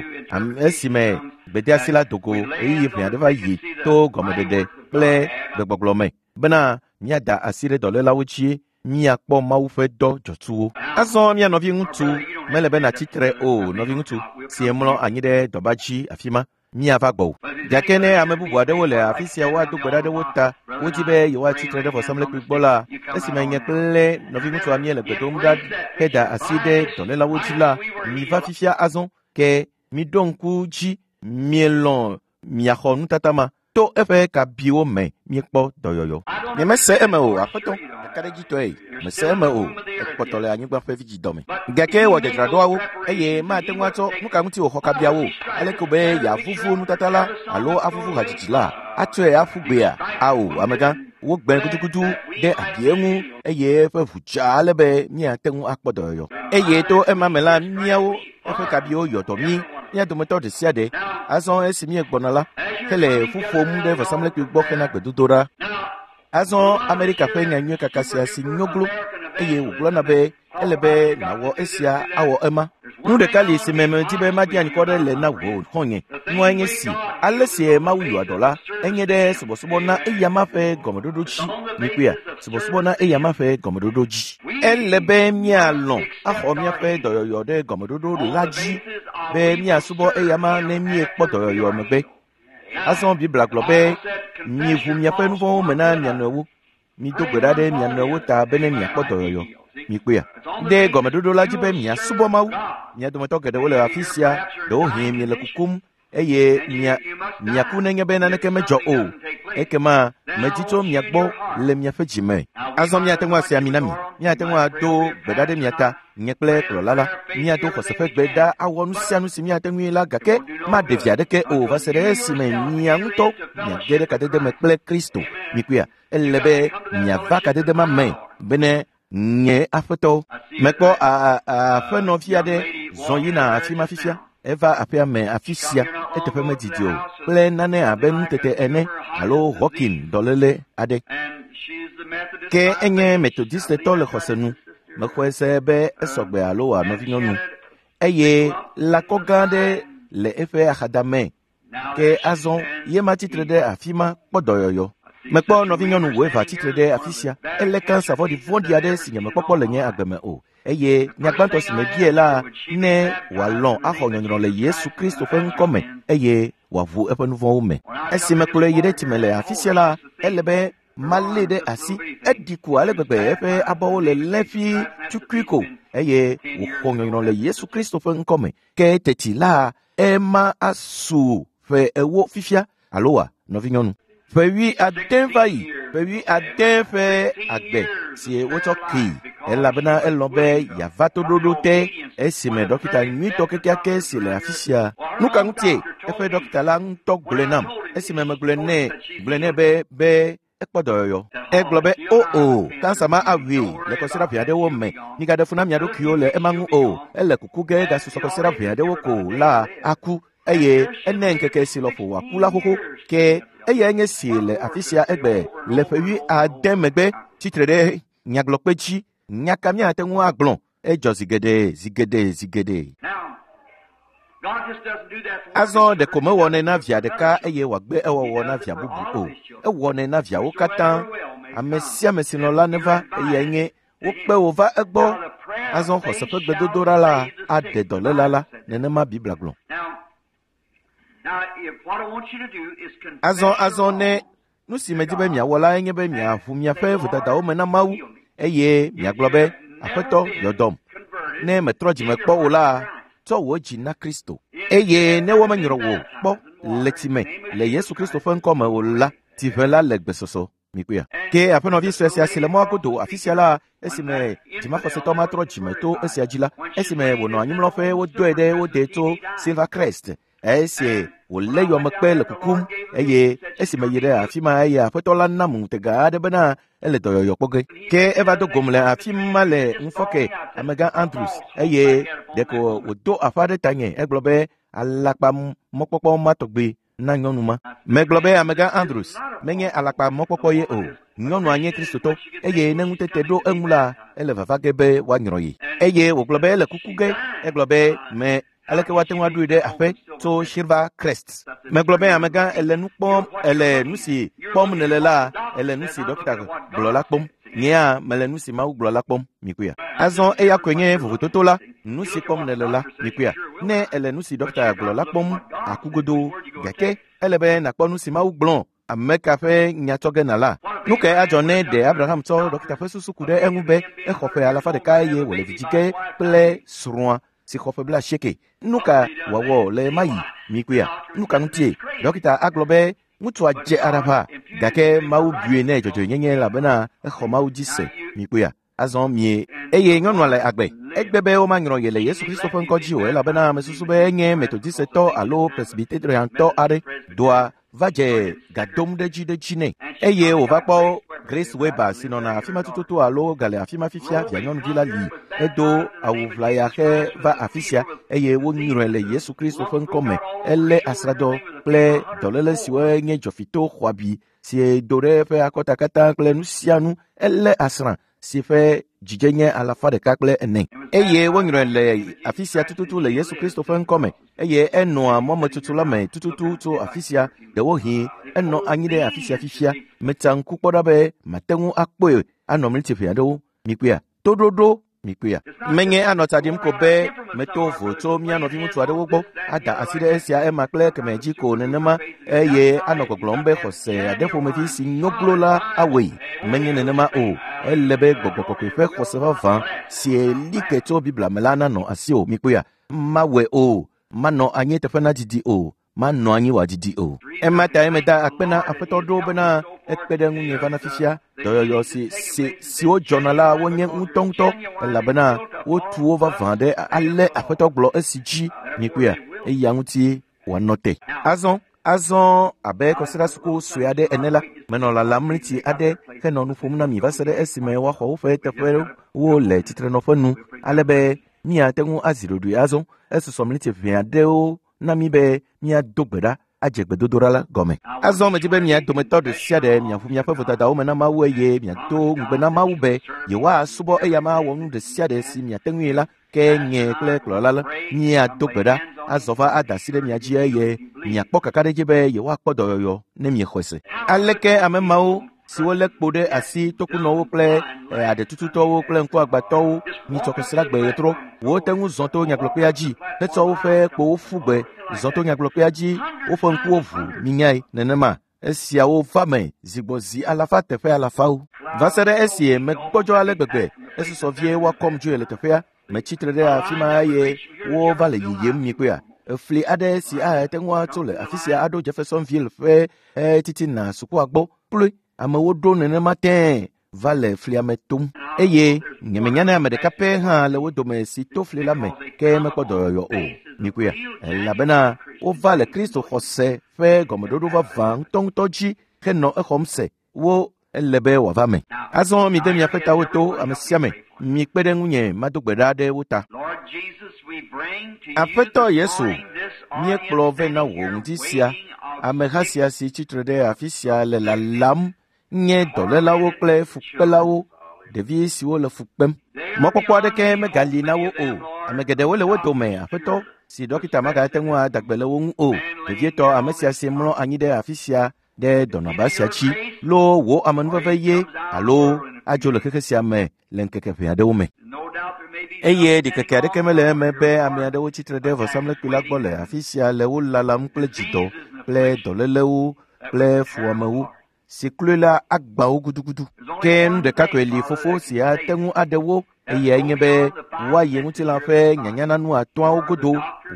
Esime gbedeasi la do go ɣeyiɣi ʋɛ aɖe va yi to gɔmeɖeɖe kple gbegbɔgblɔ me bena míada asi ɖe dɔlélawo dzi míakpɔ Mawu ƒe dɔ dzɔtsuwo. Azɔ mía nɔviŋutsu mele be nàtsitre o, nɔviŋutsu si mlɔ anyi ɖe dɔba dzi afi ma. Míava gbɔwò. Gake ne ame bubu aɖewo le afi sia woado gbe ɖa ɖe wo ta, wodi be yewoatsitre ɖe vɔsamlekpui gbɔ la, esime nye kple nɔviŋutsua míele gbe dom ɖa heda asi ɖe dɔlélawo dzi la, miva fifia azɔ ke miɖo ŋku dzi mielɔ̃ miaxɔ nutata ma to eƒe kabiwo me míekpɔ dɔyɔyɔ. Nyemese eme o, aƒetɔ, ɖekaɖedzitɔe, mese eme o, ekpɔtɔ le anyigba ƒe vidzidɔme. Gake wɔ dzadzraɖoawo eye mate ŋu atsɔ nu ka ŋuti wòxɔ kabiawo aleke be yeavuvu nutata la alo avuvu hadzidzi la atsɔe aƒu gbea? Ao, amegã, wogbe gudugudu ɖe abie ŋu eye eƒe ʋu dza ale be míate ŋu akpɔ dɔyɔyɔ. Eye to ema me la, míawo eƒe kabiwo yɔ dɔ mí, mía dometɔ ɖe sia ɖe. Azɔ esi míegbɔna la, hele ƒu ƒom ɖe vɔsamlekpui gbɔ hena gbedodoɖa. Azɔ Amerika ƒe nyanyui kaka sia si nyoglo eye wògblɔna be ele be nàwɔ esia awɔ ema. Nu ɖeka li si me medi be madi anyikɔ ɖe le na wò xɔ̃nye. Nua nye si, ale si Mawu yɔa dɔ la, enye ɖe subɔsubɔ na eyama ƒe gɔmeɖoɖo dzi. Mikpɔea, subɔsubɔ na eyama ƒe gɔmeɖoɖo dzi. Ele be míalɔ̃ axɔ míaƒe dɔyɔyɔ ɖe gɔmeɖoɖo la dzi be míasubɔ eyama ne míekpɔ dɔyɔyɔ megbe. Azɔ Biblia gblɔ be miʋu miaƒe nu vɔ̃wo me na mia nɔewo. Mido gbe ɖa ɖe mia nɔewo ta bene miakpɔ dɔyɔyɔ. Mikpɔea, ɖe gɔmeɖoɖo la dzi be miasubɔ Mawu. Mia dometɔ geɖewo le afi sia, ɖewohĩ miele kukum eye mia miaku nenye be naneke medzɔ o. Ekema medzi tso mia gbɔ le miaƒe dzi me. Azɔ míate ŋu ase ami na mi. Míate ŋu ado gbe ɖa ɖe mia ta, nye kple kplɔla la. Míado xɔse ƒe gbe ɖa awɔ nu sia nu si míate ŋui la gake maɖe vi aɖeke o va se ɖe esime mia ŋutɔ miage ɖe kadede me kple Kristo. Mikpɔea, ele be miava kadede ma me bene nye aƒetɔ. Mekpɔ aƒenɔvi aɖe zɔ yina afi ma fifia. Eva aƒea me afi sia eteƒe medidi o kple nane abe nutete ene alo Hawking dɔléle aɖe. Ke enye Methodistetɔ le xɔse nu. Mexɔe se be esɔgbe alo wòa nɔvinyɔnu. Eye lãkɔ gã aɖe le eƒe axadame. Ke azɔ ye ma tsitre ɖe afi ma kpɔ dɔyɔyɔ. Mekpɔ nɔvinyɔnu wòeva tsitre ɖe afi sia. Elé kansa vɔ̃ɖivɔ̃ɖi aɖe si nyemekpɔkpɔ le nye agbe me o. Eye nyagbãtɔ si mebiae la ne wòalɔ̃ axɔ nyɔnyrɔ le Yesu Kristo ƒe ŋkɔ me eye wòaʋu eƒe nu vɔ̃wo me. Esi mekplɔe yi ɖe tsime le afi sia la, ele be malée ɖe asi. Eɖi ku ale gbegbe eƒe abɔwo le lẽƒi tukui ko eye wòxɔ nyɔnyrɔ le Yesu Kristo ƒe ŋkɔ me. Ke teti la, ema asu ƒe ewo fifia alo wa nɔvinyɔnu. Ƒe wui ade va yi, ƒe wui ade ƒe agbe si wotsɔ kee elabena elɔ̃ be yeava toɖoɖo te esime dɔkita nyuitɔ kekeake si le afi sia. Nu ka ŋutie eƒe dɔkita la ŋutɔ gblɔe nam esime megblɔe nɛ gblɔe nɛ be be ekpɔ dɔyɔyɔ. Egblɔ be o o, kansa ma awui le kɔsiɖa ʋɛ aɖewo me. Migaɖe fu na mia ɖokuiwo le ema ŋu o. Ele kuku ge gasusɔ kɔsiɖa ʋɛ aɖewo ko la aku eye ene ŋkeke si lɔƒo wòaku la xoxo. Ke eyae nye si le afi sia egbe le ƒe wui ade megbe tsitre ɖe nyagblɔkpe dzi. Nya ka míate ŋu agblɔ? Edzɔ zi geɖe, zi geɖe, zi geɖe. Azɔ ɖeko mewɔnɛ na via ɖeka eye wòagbe ewɔwɔ na via bubu o. Ewɔnɛ na viawo katã. Ame sia ame si lɔ̃ la neva eyae nye wokpe wò va egbɔ. Azɔ xɔse ƒe gbedodoɖa la aɖe dɔléla la. Nenema Biblia gblɔ. Azɔ azɔ ne nu si medi be miawɔ lae nye be miaʋu miaƒe vodadawo me na Mawu eye miagblɔ be Aƒetɔ yɔ dɔm. Ne metrɔ dzime kpɔ o la, tsɔ wò dzi na Kristo. Eye ne womenyrɔ wò kpɔ le tsi me le Yesu Kristo ƒe ŋkɔ me o la, tsiʋe la le gbesɔsɔ. Mikpɔea. Ke aƒenɔvi sue sia si le mɔa godo afi sia la, esime dzimaxɔsetɔ ma trɔ dzime to esia dzi la, esime wònɔ anyimlɔƒe wodɔe ɖe wo de tso Silvercrest. Esi wòlé yɔmekpe le kukum eye esime yi ɖe afi ma eye aƒetɔ la nam ŋutega aɖe bena ele dɔyɔyɔ kpɔ ge. Ke eva do gom le afi ma le ŋufɔke amegã Andrews eye ɖeko wòdo aƒa ɖe tanye egblɔ be alakpa mɔkpɔkpɔ ma tɔgbe na nyɔnu ma. Megblɔ be amegã Andrews menye alakpa mɔkpɔkpɔ ye o. Nyɔnua nye Kristotɔ eye ne ŋutete ɖo eŋu la ele vava ge be woanyrɔ ye. Eye wògblɔ be ele kuku ge. Egblɔ be me aleke woate ŋu aɖoe ɖe aƒe tso Silvercrest. Megblɔ be amegã ele nu kpɔm ele nu si kpɔm nèle la ele nu si ɖɔkita gblɔ la kpɔm. Nyea mele nu si Mawu gblɔ la kpɔm. Mikpɔea. Azɔ eya koe nye vovototo la nu si kpɔm nèle la. Mikpɔea. Ne ele nu si ɖɔkita gblɔ la kpɔm aku godoo gake ele be nàkpɔ nu si Mawu gblɔ ame ka ƒe nya tsɔ ge nala. Nu kae adzɔ ne ɖe Abraham tsɔ ɖɔkita ƒe susu ku ɖe eŋu be exɔ ƒe alafa ɖeka eye wòle vi dzi ge kple srɔ̃a si xɔ ƒe blaasieke. Nu ka wòawɔ le ema yi? Mikpɔea. Nu ka ŋutie? Ɖɔkita agblɔ be ŋutsua dze aɖaʋa gake Mawu bui nɛ dzɔdzɔenyenye elabena exɔ Mawu dzi se. Mikpɔea. Azɔ mie eye nyɔnua le agbe. Egbe be womanyrɔ ye le Yesu Kristo ƒe ŋkɔ dzi o elabena mesusu be enye Metodistɔ alo Presbyteriantɔ aɖe. Doa va dze ga dom ɖe dzi ɖe dzi nɛ eye wòva kpɔ Grace Weber si nɔna afi ma tututu alo gale afi ma fifia via nyɔnuvi la li edo awu ʋlaya xe va afi sia eye wonyrɔe le Yesu Kristo ƒe ŋkɔ me. Elé asrãdɔ kple dɔléle siwo nye dzɔfito xɔabi si do ɖe eƒe akɔta katã kple nu sia nu. Elé asrã si ƒe dzidze nye alafa ɖeka kple ene eye wonyrɔe le afi sia tututu le Yesu Kristo ƒe ŋkɔ me eye enɔa mɔmetutu la me tututu tso afi sia. Ɖewohĩ enɔ anyi ɖe afi sia fifia. Metsa ŋku kpɔ ɖa be mate ŋu akpɔe anɔ mlitiƒe aɖewo. Mikpɔea. Toɖoɖo mikpɔea. Menye anɔ tsa ɖim ko be meto vo tso mía nɔviŋutsu aɖewo gbɔ ada asi ɖe esia ema kple keme dzi ko nenema eye anɔ gbɔgblɔm be xɔse aɖe ƒomevi si nyoglo la awɔe. Menye nenema o. Ele be gbɔgbɔ kɔkɔe ƒe xɔse vavã si li ke tso Biblia me la nanɔ asiwò. Mikpɔea. Mawɔe o. Manɔ anyi teƒe na didi o. Manɔ anyi wòadidi o. Ema tae meda akpe na aƒetɔ ɖo bena ekpe ɖe ŋunye va na fifia. Dɔyɔyɔ si si siwo dzɔna la wonye ŋutɔŋutɔ elabena wotu wo vavã ɖe ale aƒetɔ gblɔ esi dzi. Mikpɔea. Eya ŋuti wòanɔ te. Azɔ azɔ abe kɔsiɖasuku sue aɖe ene la menɔ lalam mliti aɖe henɔ nu ƒom na mi va se ɖe esime woaxɔ woƒe teƒewo le tsitrenɔƒe nu ale be míate ŋu azi ɖoɖoe azɔ. Esusɔ mliti ʋɛ aɖewo na mi be míado gbe ɖa adze gbedodoɖa la gɔme. Azɔ medzi be mia dometɔ ɖe sia ɖe miaʋu miaƒe vodadawo me na Mawu eye miado ŋugbe na Mawu be yewoasubɔ eya ma awɔ nu ɖe sia ɖe si miate ŋui la ke nye kple kplɔla la miado gbe ɖa azɔ va ada asi ɖe mia dzi eye miakpɔ kakaɖedzi be yewoakpɔ dɔyɔyɔ ne miexɔe se. Aleke ame mawo siwo lé kpo ɖe asi tokunɔwo kple aɖetututɔwo kple ŋkuagbãtɔwo nyitsɔ kɔsiɖagbe ɣetrɔ wote ŋu zɔ to nyagblɔkpea dzi hetsɔ woƒe kpowo ƒu gbe zɔ to nyagblɔkpea dzi woƒe ŋkuwo ʋu minyae nenema. Esiawo va me zigbɔzi alafa teƒe alafawo va se ɖe esi megbɔdzɔ ale gbegbe esusɔ vie woakɔm dzoe le teƒea. Metsitre ɖe afi ma eye wova le yiyim. Mikpɔea. Efli aɖe si ate ŋu atso le afi sia aɖo Jeffersonville ƒe titina sukua gbɔ kloe. Amewo ɖo nenema tẽe va le flia me tom eye nyemenya ne ame ɖeka pɛ hã le wo dome si to fli la me ke mekpɔ dɔyɔyɔ o. Mikpɔea. Elabena wova le Kristo xɔse ƒe gɔmeɖoɖo vavã ŋutɔŋutɔ dzi henɔ exɔm se. Wo ele be wòava me. Azɔ mide miaƒe tawo to ame sia ame. Mikpe ɖe ŋunye mado gbe ɖa ɖe wo ta. Aƒetɔ Yesu, míekplɔ vɛ na wò ŋdi sia. Ameha sia si tsitre ɖe afi sia le lalam nye dɔlélawo kple fukpelawo, ɖevi siwo le fu kpem. Mɔkpɔkpɔ aɖeke megali na wo o. Ame geɖewo le wo dome, aƒetɔ, si ɖɔkita magate ŋu ada gbe le wo ŋu o. Vevietɔ ame sia si mlɔ anyi ɖe afi sia ɖe dɔnɔba sia dzi loo wò amenuveve ye alo adzo le xexe sia me le ŋkeke ʋɛ aɖewo me. Eye ɖikeke aɖeke mele eme be ame aɖewo tsitre ɖe vɔsamlekpui la gbɔ le afi sia le wo lalam kple dzidɔ kple dɔlélewo kple fuamewo si kloe la agbã wo gudugudu. Ke nu ɖeka koe li fofo si ate ŋu aɖe wo eyae nye be woayi ŋutilã ƒe nyanyananu atɔ̃awo godo.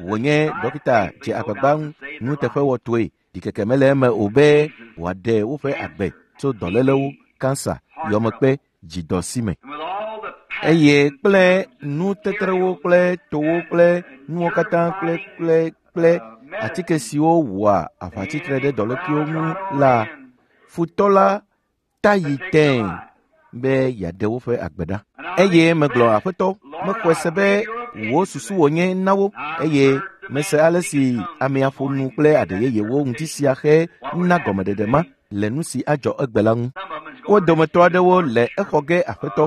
Wònye ɖɔkita dze agbagba nuteƒewɔtɔe. Ɖikeke mele eme o be wòaɖe woƒe agbe. tso dɔlélewo, kansa, yɔmekpe, dzidɔ si me. Eye kple nutetrewo kple towo kple nuwo katã kple kple kple atike siwo wɔa aʋatsitre ɖe dɔlékuiwo ŋu la, futɔ la ta yi tẽe be yeaɖe woƒe agbe ɖa. Eye megblɔ aƒetɔ, mexɔe se be wò susu wònye na wo eye mese ale si amea ƒo nu kple aɖe yeyewo ŋuti sia xe na gɔmeɖeɖe ma le nu si adzɔ egbe la ŋu. Wo dometɔ aɖewo le exɔ ge aƒetɔ.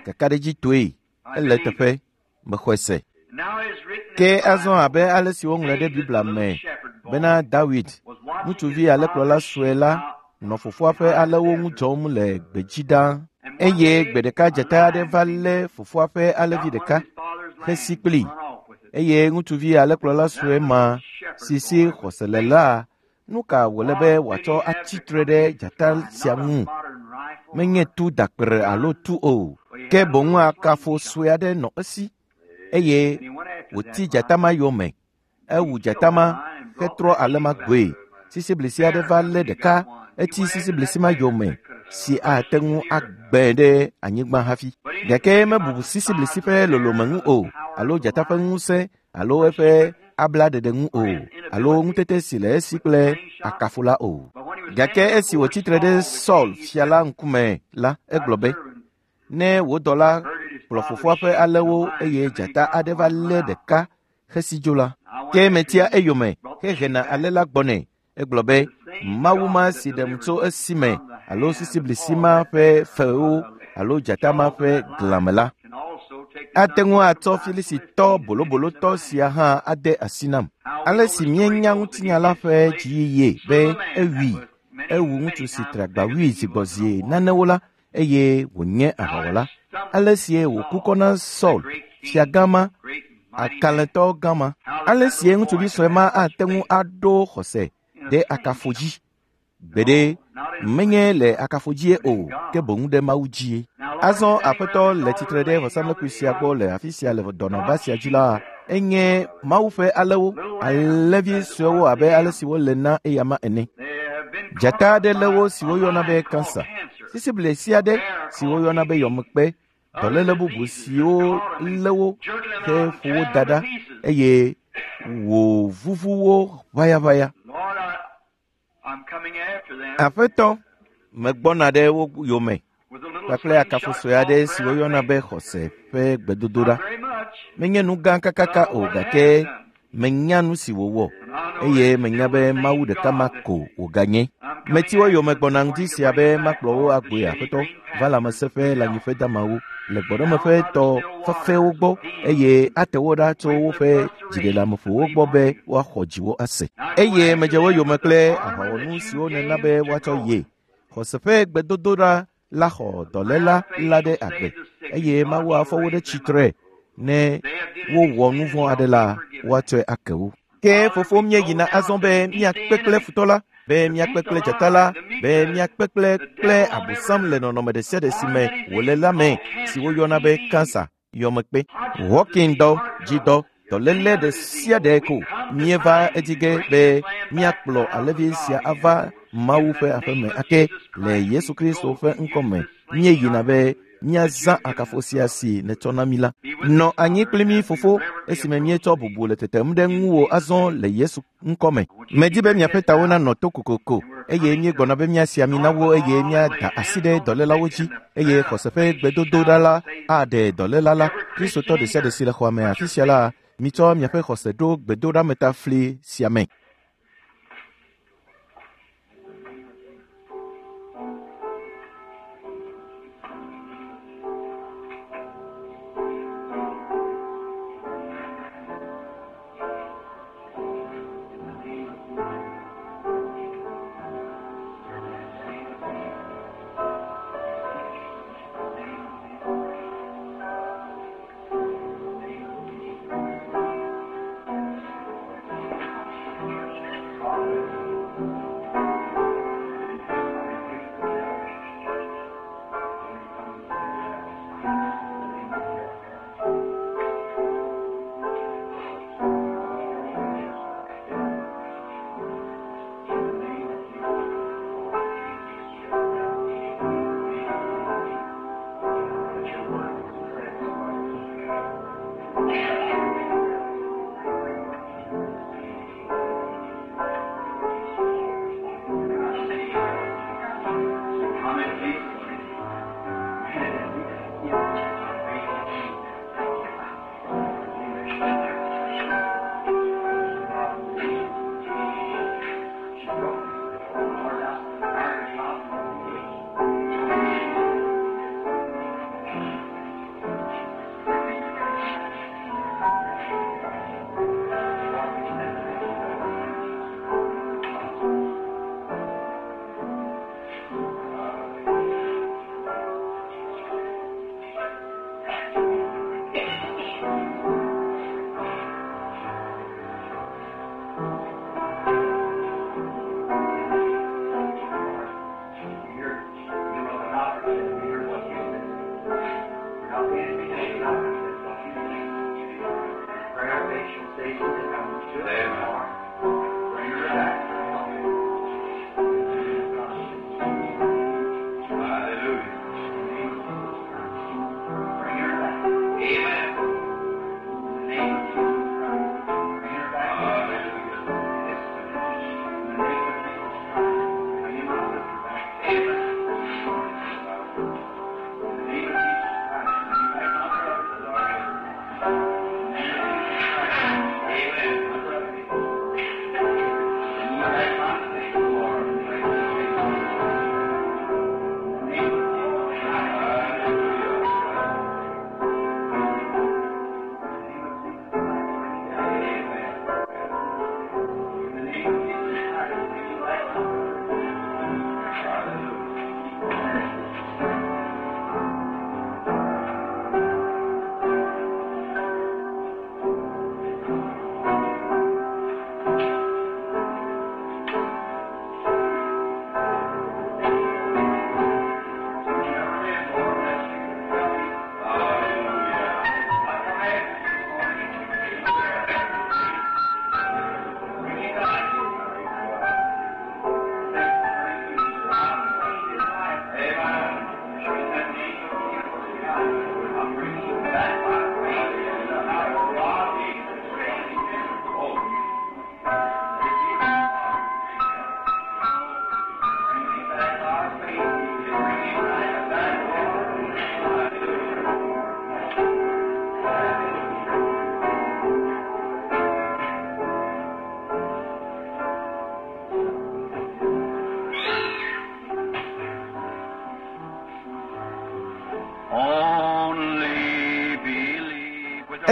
Kakaɖedzitɔe ele teƒe mexɔe se. Ke azɔ abe ale si woŋlɔe ɖe Biblia me bena Dawid, ŋutsuvi alẽkplɔla sue la, nɔ fofoa ƒe alẽwo ŋu dzɔm le gbedzi ɖaa. Eye gbe ɖeka dzata aɖe va lé fofoa ƒe alẽvi ɖeka hesi kplii. Eye ŋutsuvi alẽkplɔla sue ma si si xɔse le la, nu ka wòle be wòatsɔ atsi tre ɖe dzata sia ŋu? Menye tu dakpere alo tu o, ke boŋ akafo sue aɖe nɔ esi eye wòti dzata ma yome. Ewu dzata ma hetrɔ alẽ ma goe. Sisiblisi aɖe va lé ɖeka eti sisiblisi ma yome si ate ŋu agbẽ ɖe anyigba hafi. Gake mebu sisiblisi ƒe lolome ŋu o, alo dzata ƒe ŋusẽ alo eƒe ablaɖeɖe ŋu o, alo ŋutete si le esi kple akafo la o. Gake esi wòtsi tre ɖe Saul fia la ŋkume la, egblɔ be, ne wò dɔla kplɔ fofoa ƒe alẽwo eye dzata aɖe va lé ɖeka hesi dzo la, ke metia eyome hehena alẽ la gbɔnɛ. Egblɔ be, Mawu ma si ɖem tso esime alo sisiblisi ma ƒe fewo alo dzata ma ƒe glãme la, ate ŋu atsɔ Filisitɔ bolobolotɔ sia hã ade asi nam. Ale si míenya ŋutinya la ƒe dziyiyi be ewui, ewu ŋutsu si tre agba wui zi gbɔ zi nanewo la, eye wònye aʋawɔla. Ale sie wòku kɔ na Saul, fiagã ma, akalẽtɔ gã ma. Ale sie ŋutsuvi sue ma ate ŋu aɖo xɔse ɖe akafo dzi. Gbeɖe menye le akafo dzie o, ke boŋ ɖe Mawu dzie. Azɔ aƒetɔ le tsitre ɖe vɔsamlekpui sia gbɔ le afi sia le dɔnɔba sia dzi la, enye Mawu ƒe alẽwo, alẽvi suewo abe ale si wole na eyama ene. Dzata aɖe lé wo si woyɔna be kansa, sisiblisi aɖe si woyɔna be yɔmekpe, dɔléle bubu siwo lé wo heƒo wo da ɖa eye wòvuvu wo ʋayaʋaya. Aƒetɔ, megbɔna ɖe wo yome kpakple akafo sue aɖe si woyɔna be xɔse ƒe gbedodoɖa. Menye nu gã kakaka o, gake menya nu si wòwɔ eye menya be Mawu ɖeka ma ko wòganye. Meti wo yome gbɔna ŋdi sia be makplɔ wo agboe aƒetɔ va lãmesẽƒe lãnyiƒe damawo le gbɔɖemeƒe tɔ fafɛwo gbɔ eye ate wo ɖa tso woƒe dziɖeleameƒowo gbɔ be woaxɔ dziwo ase. Eye medze wo yome kple aʋawɔnu siwo nena be woatsɔ ye. Xɔse ƒe gbedodoɖa la xɔ dɔléla la ɖe agbe eye Mawu afɔ wo ɖe tsitre ne wowɔ nu vɔ̃ aɖe la, woatsɔe ake wo. Ke fofo míeyina azɔ be míakpe kple futɔ la, be míakpe kple dzata la, be míakpe kple kple abosam le nɔnɔme ɖe sia ɖe si me wòle la me, si woyɔna be kansa, yɔmekpe, Hawking-dɔ, dzidɔ, dɔléle ɖe sia ɖe ko. Míeva edzi ge be míakplɔ alẽvi sia ava Mawu ƒe aƒeme ake le Yesu Kristo ƒe ŋkɔme. Míeyina be míazã akafo sia si nètsɔ na mí la. Nɔ anyi kpli mí fofo esime míetsɔ bubu le tetem ɖe ŋuwò azɔ le Yesu ŋkɔme. Medi be miaƒe tawo nanɔ to kokoko eye míegbɔna be míasi ami na wo eye míada asi ɖe dɔlélawo dzi eye xɔse ƒe gbedodoɖa la aɖe dɔléla la. Kristotɔ ɖe sia ɖe si le xɔa me afi sia la, mitsɔ miaƒe xɔse ɖo gbedoɖametafli sia me.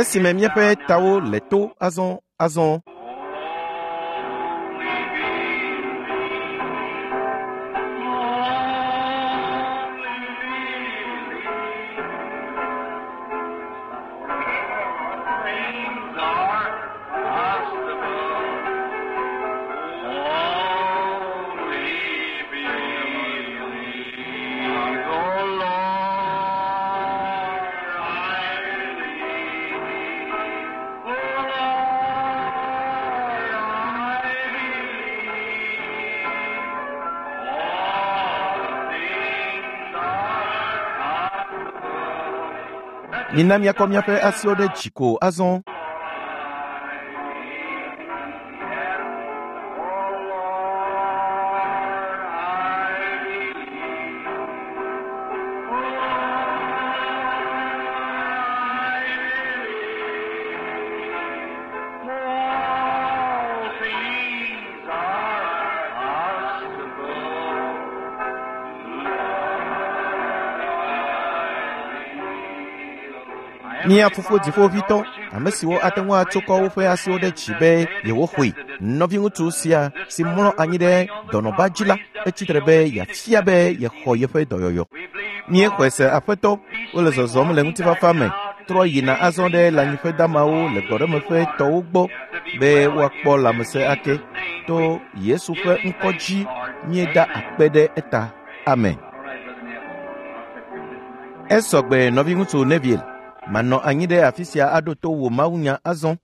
Esime míaƒe tawo le to azɔ azɔ. Things are possible. Only believe, O Lord, I believe. O Lord, I believe. All things are possible. Mina míakɔ míaƒe asiwo ɖe dzi ko azɔ. Mía fofo dziƒoʋĩtɔ, ame siwo ate ŋu atso kɔ woƒe asiwo ɖe dzi be yewoxɔe. Nɔviŋutsu sia si mlɔ anyi ɖe dɔnɔba dzi la, etsi tre be yeafia be yexɔ yeƒe dɔyɔyɔ. Míexɔe se aƒetɔ, wole zɔzɔm le ŋutifafa me, trɔ yina azɔ ɖe lãnyiƒe damawo le gbɔɖemeƒe tɔwo gbɔ be woakpɔ lãmesẽ ake. To Yesu ƒe ŋkɔ dzi míeda akpe ɖe eta. Amen. Esɔgbe nɔviŋutsu Neville. Manɔ anyi ɖe afi sia aɖo to wò mawunya azɔ.